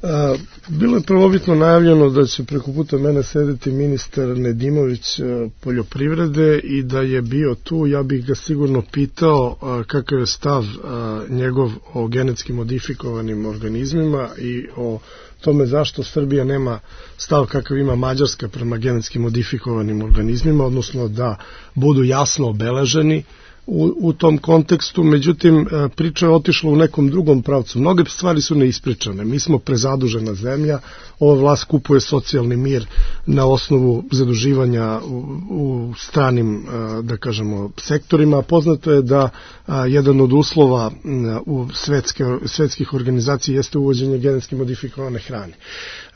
A, bilo je prvobitno najavljeno da će preko puta mene sedeti ministar Nedimović a, poljoprivrede i da je bio tu, ja bih ga sigurno pitao a, kakav je stav a, njegov o genetski modifikovanim organizmima i o tome zašto Srbija nema stav kakav ima Mađarska prema genetski modifikovanim organizmima, odnosno da budu jasno obeleženi U, u tom kontekstu. Međutim, priča je otišla u nekom drugom pravcu. Mnoge stvari su neispričane. Mi smo prezadužena zemlja, ova vlast kupuje socijalni mir na osnovu zaduživanja u, u stranim, da kažemo, sektorima. Poznato je da a, jedan od uslova u svetske, svetskih organizacija jeste uvođenje genetski modifikovane hrane.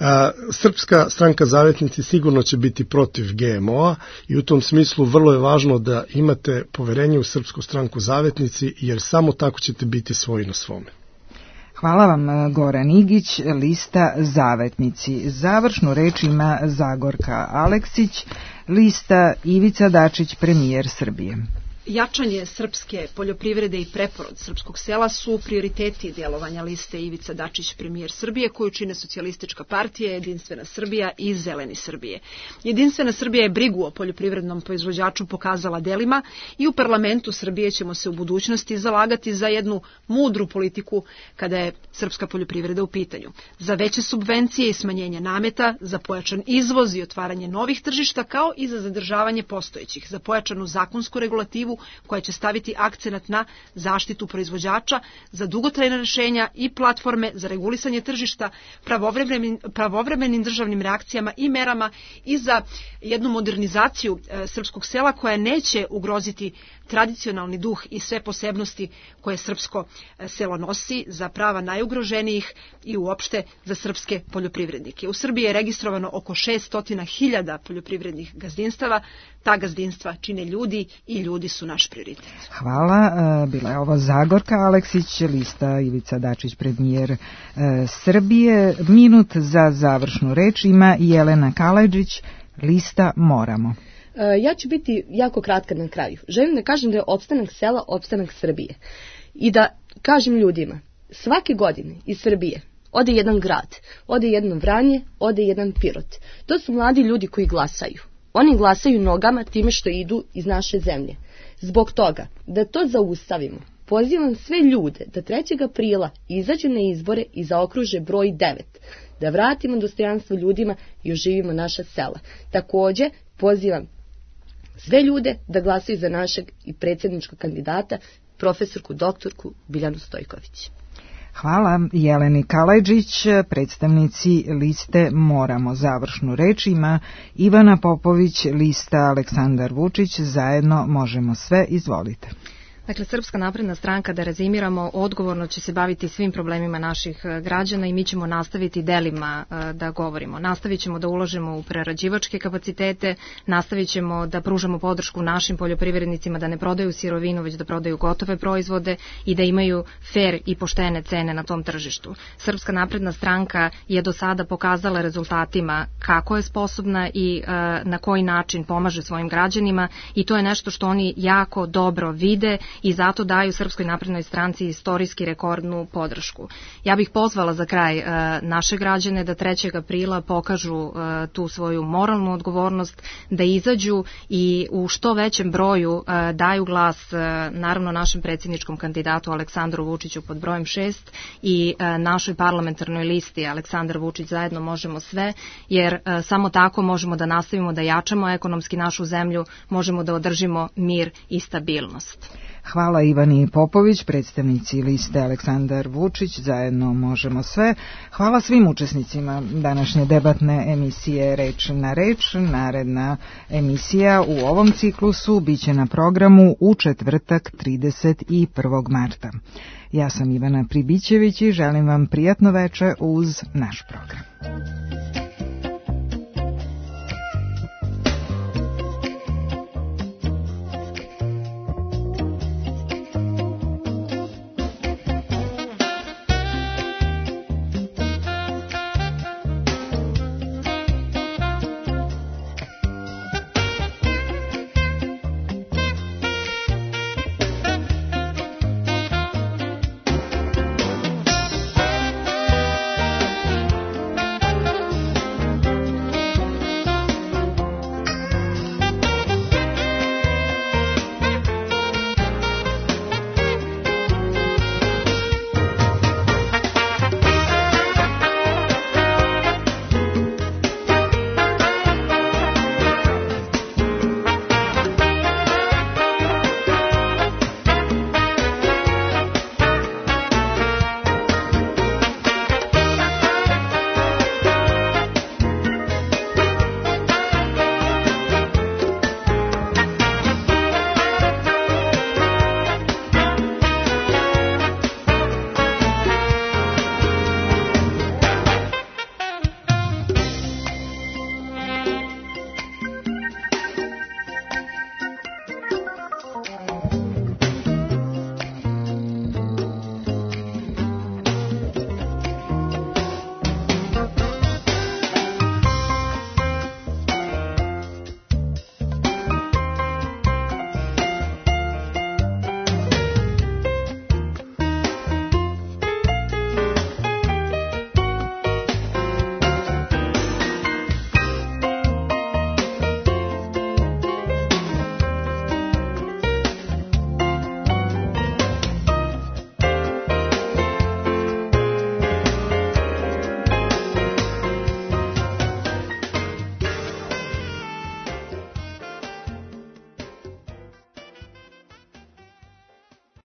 A, Srpska stranka Zavetnici sigurno će biti protiv G M O-a i u tom smislu vrlo je važno da imate poverenje u Srpsku stranku Zavetnici, jer samo tako ćete biti svoji na svome. Hvala vam, Goran Igić, lista Zavetnici. Završnu reč ima Zagorka Aleksić, lista Ivica Dačić, premijer Srbije. Jačanje srpske poljoprivrede i preporod srpskog sela su prioriteti djelovanja liste Ivica Dačić, premijer Srbije, koju čine Socijalistička partija, Jedinstvena Srbija i Zeleni Srbije. Jedinstvena Srbija je brigu o poljoprivrednom proizvođaču pokazala delima i u parlamentu Srbije ćemo se u budućnosti zalagati za jednu mudru politiku kada je srpska poljoprivreda u pitanju. Za veće subvencije i smanjenje nameta, za pojačan izvoz i otvaranje novih tržišta, kao i za zadržavanje postojećih, za pojačanu zakonsku regulativu koja će staviti akcenat na zaštitu proizvođača, za dugotrajna rešenja i platforme za regulisanje tržišta, pravovremenim, pravovremenim državnim reakcijama i merama i za jednu modernizaciju e, srpskog sela koja neće ugroziti tradicionalni duh i sve posebnosti koje srpsko selo nosi, za prava najugroženijih i uopšte za srpske poljoprivrednike. U Srbiji je registrovano oko šessto hiljada poljoprivrednih gazdinstava. Ta gazdinstva čine ljudi i ljudi su naš prioritet. Hvala. Bila je ovo Zagorka Aleksić, lista Ivica Dačić, premijer Srbije. Minut za završnu reč ima Jelena Kaleđić, lista Moramo. Ja ću biti jako kratka na kraju. Želim da kažem da je opstanak sela opstanak Srbije. I da kažem ljudima, svake godine iz Srbije ode jedan grad, ode jedno Vranje, ode jedan Pirot. To su mladi ljudi koji glasaju. Oni glasaju nogama time što idu iz naše zemlje. Zbog toga, da to zaustavimo, pozivam sve ljude da trećeg aprila izađu na izbore i zaokruže broj devet. Da vratimo dostojanstvo ljudima i oživimo naša sela. Takođe, pozivam sve ljude da glasaju za našeg i predsjedničkog kandidata, profesorku doktorku Biljanu Stojković. Hvala Jeleni Kaleđić, predstavnici liste Moramo. Završnu reč ima Ivana Popović, lista Aleksandar Vučić, zajedno možemo sve, izvolite. Dakle, Srpska napredna stranka, da rezimiramo, odgovorno će se baviti svim problemima naših građana i mi ćemo nastaviti delima da govorimo. Nastavit ćemo da ulažemo u prerađivačke kapacitete, nastavit ćemo da pružamo podršku našim poljoprivrednicima da ne prodaju sirovinu, već da prodaju gotove proizvode i da imaju fer i poštene cene na tom tržištu. Srpska napredna stranka je do sada pokazala rezultatima kako je sposobna i na koji način pomaže svojim građanima i to je nešto što oni jako dobro vide i zato daju Srpskoj naprednoj stranci istorijski rekordnu podršku. Ja bih pozvala za kraj naše građane da trećeg aprila pokažu tu svoju moralnu odgovornost, da izađu i u što većem broju daju glas naravno našem predsjedničkom kandidatu Aleksandru Vučiću pod brojem šest i našoj parlamentarnoj listi Aleksandar Vučić zajedno možemo sve, jer samo tako možemo da nastavimo da jačamo ekonomski našu zemlju, možemo da održimo mir i stabilnost. Hvala Ivani Popović, predstavnici liste Aleksandar Vučić, zajedno možemo sve. Hvala svim učesnicima današnje debatne emisije Reč na reč. Naredna emisija u ovom ciklusu biće na programu u četvrtak trideset prvog marta. Ja sam Ivana Pribićević i želim vam prijatno veče uz naš program.